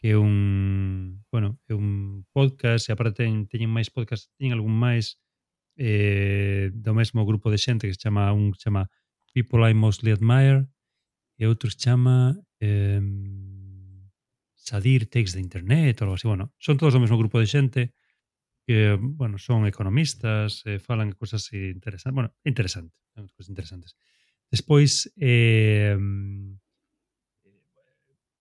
que é un, bueno, é un podcast e aparte teñen, teñen máis podcast, teñen algún máis eh, do mesmo grupo de xente que se chama un que se chama People I Mostly Admire e outro se chama eh, Sadir Takes the Internet ou algo así. Bueno, son todos do mesmo grupo de xente que, bueno, son economistas, eh, falan de cosas interesantes. Bueno, interesante, son cosas interesantes. Despois, eh,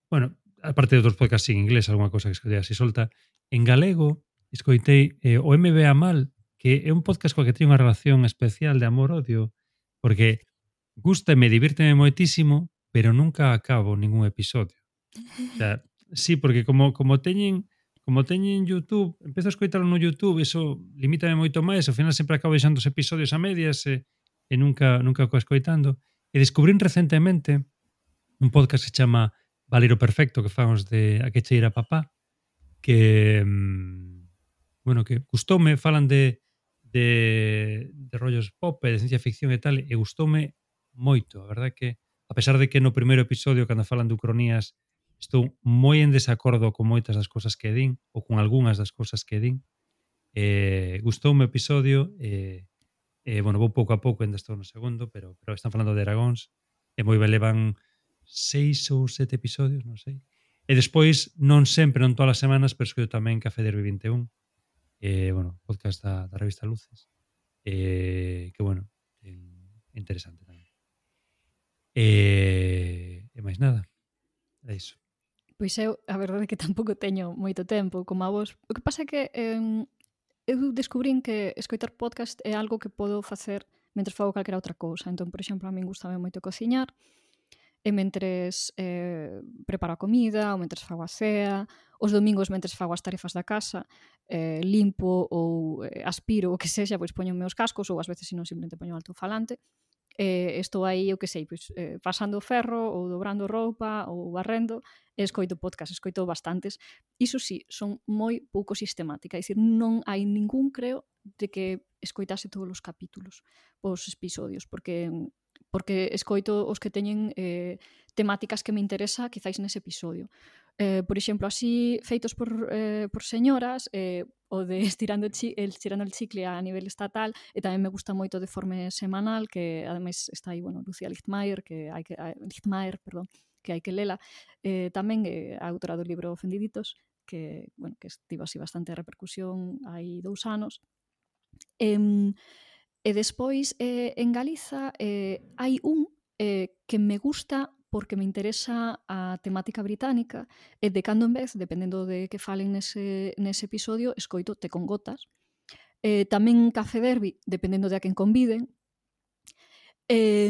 bueno, aparte de outros podcasts en inglés, alguna cosa que escoitei así solta, en galego escoitei eh, o M B A Mal, que é un podcast coa que teño unha relación especial de amor-odio, porque gústame, divírteme moitísimo, pero nunca acabo ningún episodio. O sea, sí, porque como como teñen como teñen YouTube, empezo a escoitalo no YouTube, eso limítame moito máis, ao final sempre acabo deixando os episodios a medias e, e nunca nunca acabo escoitando. E descubrín recentemente un podcast que se chama Valero Perfecto, que fan os de A que cheira papá, que mmm, bueno, que gustoume, falan de de, de rollos pop e de ciencia ficción e tal, e gustoume moito, a verdade que a pesar de que no primeiro episodio cando falan de ucronías estou moi en desacordo con moitas das cosas que din ou con algunhas das cosas que din, eh, gustoume o episodio e, eh, bueno, vou pouco a pouco, ainda estou no segundo, pero, pero están falando de dragóns e moi ben, levan seis ou sete episodios, non sei. E despois, non sempre, non todas as semanas, pero escoito tamén Café Derby vinte e un, eh, bueno, podcast da, da revista Luces, eh, que, bueno, é interesante tamén. E, e máis nada, é iso. Pois eu, a verdade é que tampouco teño moito tempo como a vos. O que pasa é que eh, eu descubrín que escoitar podcast é algo que podo facer mentre fago calquera outra cousa. Entón, por exemplo, a min gustame moito cociñar, e mentres eh, preparo a comida, ou mentres fago a cea, os domingos mentres fago as tarefas da casa, eh, limpo ou eh, aspiro o que sexa, pois poño meus cascos, ou ás veces, se non, simplemente poño altofalante, e estou aí, eu que sei, pois, eh, pasando o ferro, ou dobrando roupa, ou barrendo, e escoito podcast, escoito bastantes. Iso sí, son moi pouco sistemática, é dicir, non hai ningún, creo, de que escoitase todos os capítulos, os episodios, porque porque escoito os que teñen eh, temáticas que me interesa quizáis nese episodio. Eh, por exemplo, así feitos por, eh, por señoras, eh, o de estirando el, chi, el, estirando el chicle a nivel estatal, e tamén me gusta moito de Forme Semanal, que ademais está aí, bueno, Lucía Lichtmeier, que hai que, a, Lichtmeier, perdón, que hai que lela, eh, tamén eh, a autora do libro Ofendiditos, que, bueno, que estivo así bastante repercusión hai dous anos. E, E despois, eh, en Galiza, eh, hai un eh, que me gusta porque me interesa a temática británica e de cando en vez, dependendo de que falen nese, nese episodio, escoito Te con gotas. Eh, tamén Café Derby, dependendo de a quen conviden. E,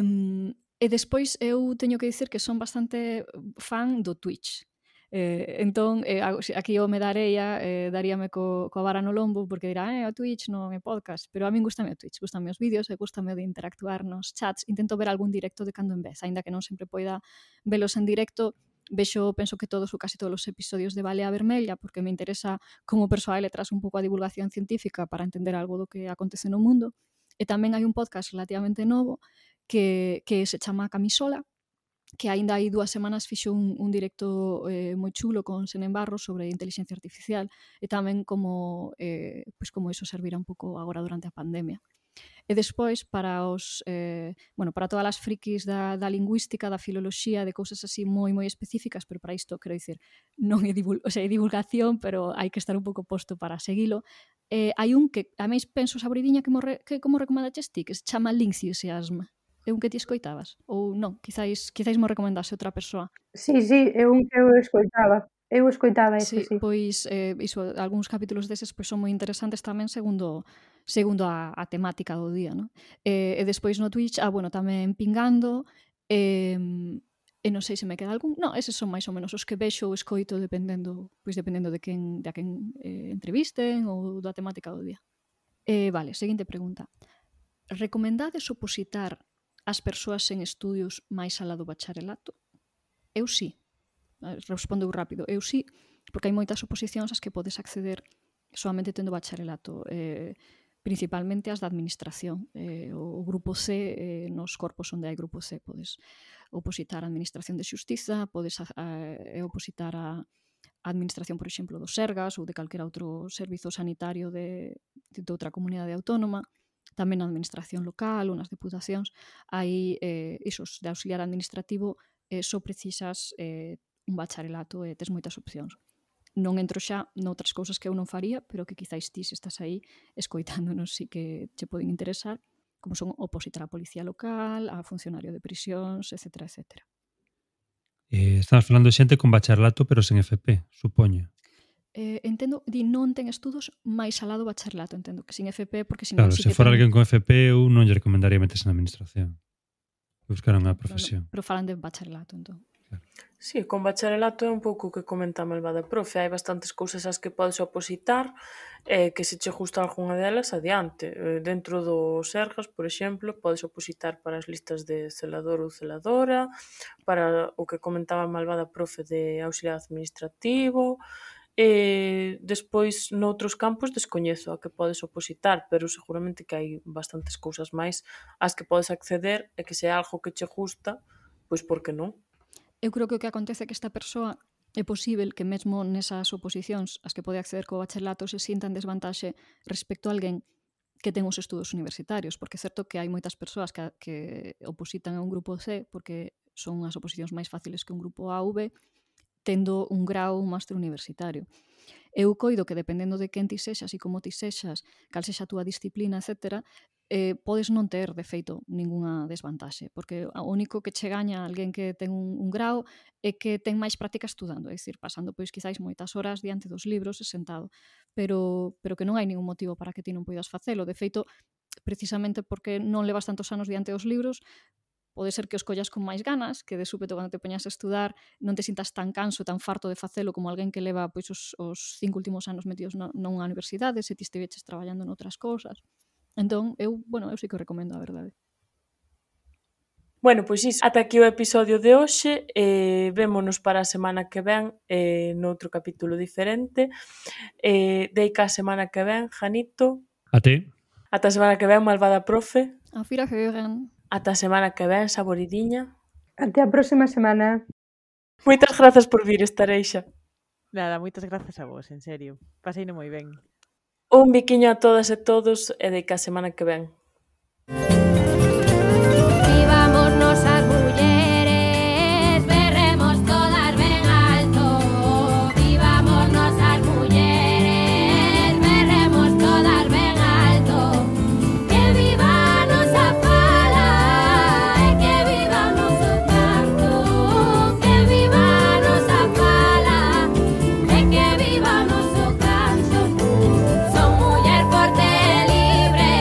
e despois eu teño que dicir que son bastante fan do Twitch. Eh, entón, eh, aquí o me dareia, eh, daríame co, coa vara no lombo, porque dirá, eh, o Twitch non é podcast, pero a min gustame o Twitch, gustame os vídeos e gustame de interactuar nos chats, intento ver algún directo de cando en vez, aínda que non sempre poida velos en directo, vexo, penso que todos ou casi todos os episodios de Balea Vermella, porque me interesa como persoa e letras un pouco a divulgación científica para entender algo do que acontece no mundo, e tamén hai un podcast relativamente novo que, que se chama Camisola, que aínda hai dúas semanas fixo un, un directo eh, moi chulo con Senen Barros sobre inteligencia artificial e tamén como, eh, pois como iso servirá un pouco agora durante a pandemia. E despois, para os eh, bueno, para todas as frikis da, da lingüística, da filoloxía, de cousas así moi moi específicas, pero para isto, quero dicir, non é, divul o sea, é divulgación, pero hai que estar un pouco posto para seguilo. Eh, hai un que, a máis penso sabridiña que, morre, que como recomendaches ti, que se chama Linxiasiasm. É un que ti escoitabas? Ou non? Quizáis, quizáis mo recomendase outra persoa. Sí, sí, é un que eu escoitaba. Eu escoitaba ese, Sí, sí. pois eh, iso, algúns capítulos deses pois, son moi interesantes tamén segundo segundo a, a temática do día, non? E, e despois no Twitch, ah, bueno, tamén Pingando, e, e non sei se me queda algún. Non, eses son máis ou menos os que vexo ou escoito dependendo, pois dependendo de quen, de a quen eh, entrevisten ou da temática do día. Eh, vale, seguinte pregunta. Recomendades opositar as persoas sen estudios máis alá do bacharelato? Eu sí. Respondeu rápido. Eu sí, porque hai moitas oposicións ás que podes acceder solamente tendo bacharelato, eh, principalmente as da administración. Eh, o grupo C, eh, nos corpos onde hai grupo C, podes opositar a administración de xustiza, podes a, a, opositar a a administración, por exemplo, do Sergas ou de calquera outro servizo sanitario de, de outra comunidade autónoma, tamén na administración local ou nas deputacións. Hai eh, isos de auxiliar administrativo, eh, só precisas eh, un bacharelato e tes moitas opcións. Non entro xa noutras cousas que eu non faría, pero que quizáis ti, se estás aí escoitándonos, sí que che poden interesar, como son opositar a policía local, a funcionario de prisións, etcétera, etcétera. Eh, estamos falando de xente con bacharelato, pero sen F P, supoño. Eh, entendo, di non ten estudos máis alá do bacharelato, entendo que sin F P, porque senón Claro, sí se que fora ten... alguén con F P, eu non lle recomendaría meterse na administración. Buscar unha profesión. Pero, pero falan de bacharelato, entón. Sí, con bacharelato é un pouco o que comenta a malvada profe. Hai bastantes cousas ás que podes opositar eh, que se che gusta algunha delas adiante. Eh, dentro do Sergas, por exemplo, podes opositar para as listas de celador ou celadora, para o que comentaba a malvada profe de auxiliar administrativo. E despois, noutros campos, descoñezo a que podes opositar, pero seguramente que hai bastantes cousas máis ás que podes acceder e que se é algo que che gusta, pois por que non? Eu creo que o que acontece é que esta persoa é posible que mesmo nesas oposicións as que pode acceder co bacharelato se sinta en desvantaxe respecto a alguén que ten os estudos universitarios, porque é certo que hai moitas persoas que, que opositan a un grupo C porque son as oposicións máis fáciles que un grupo A ou B, tendo un grau ou un máster universitario. Eu coido que dependendo de quen ti sexas e como ti sexas, cal sexa a túa disciplina, etcétera, eh, podes non ter, de feito, ningunha desvantaxe, porque o único que che gaña alguén que ten un, un grau é que ten máis práctica estudando, é dicir, pasando pois quizáis moitas horas diante dos libros e sentado, pero, pero que non hai ningún motivo para que ti non poidas facelo. De feito, precisamente porque non levas tantos anos diante dos libros, pode ser que os collas con máis ganas, que de súpeto cando te poñas a estudar non te sintas tan canso, tan farto de facelo como alguén que leva pois, os, os cinco últimos anos metidos na, nunha universidade, se ti estiveches traballando noutras cousas. Entón, eu, bueno, eu sí que o recomendo, a verdade. Bueno, pois iso, ata aquí o episodio de hoxe, eh, vémonos para a semana que ven eh, noutro capítulo diferente. Eh, deica a semana que ven, Janito. A ti. Ata a semana que ven, malvada profe. Auf Wiederhören. Ata a semana que ven, saboridiña. Até a próxima semana. Moitas grazas por vir, Estareixa. Nada, moitas grazas a vos, en serio. Paseino moi ben. Un biquiño a todas e todos e deica a semana que ven. Vivámonos as mulleres, berremos todas ben alto. Vivámonos as mulleres, berremos todas ben alto. Que viva a nosa fala e que viva o noso canto. Que viva a nosa fala e que viva o noso canto. Son muller forte e libre,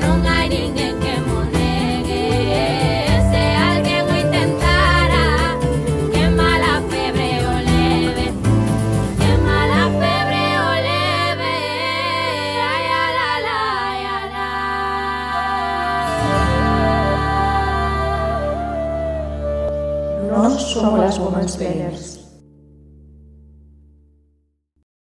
non hai ninguén que mo negue. Se alguén o intentara, que mala febre o leve, que mala febre o leve. Ai, ala, ala, ai, ala. Nós somos as Women's Players.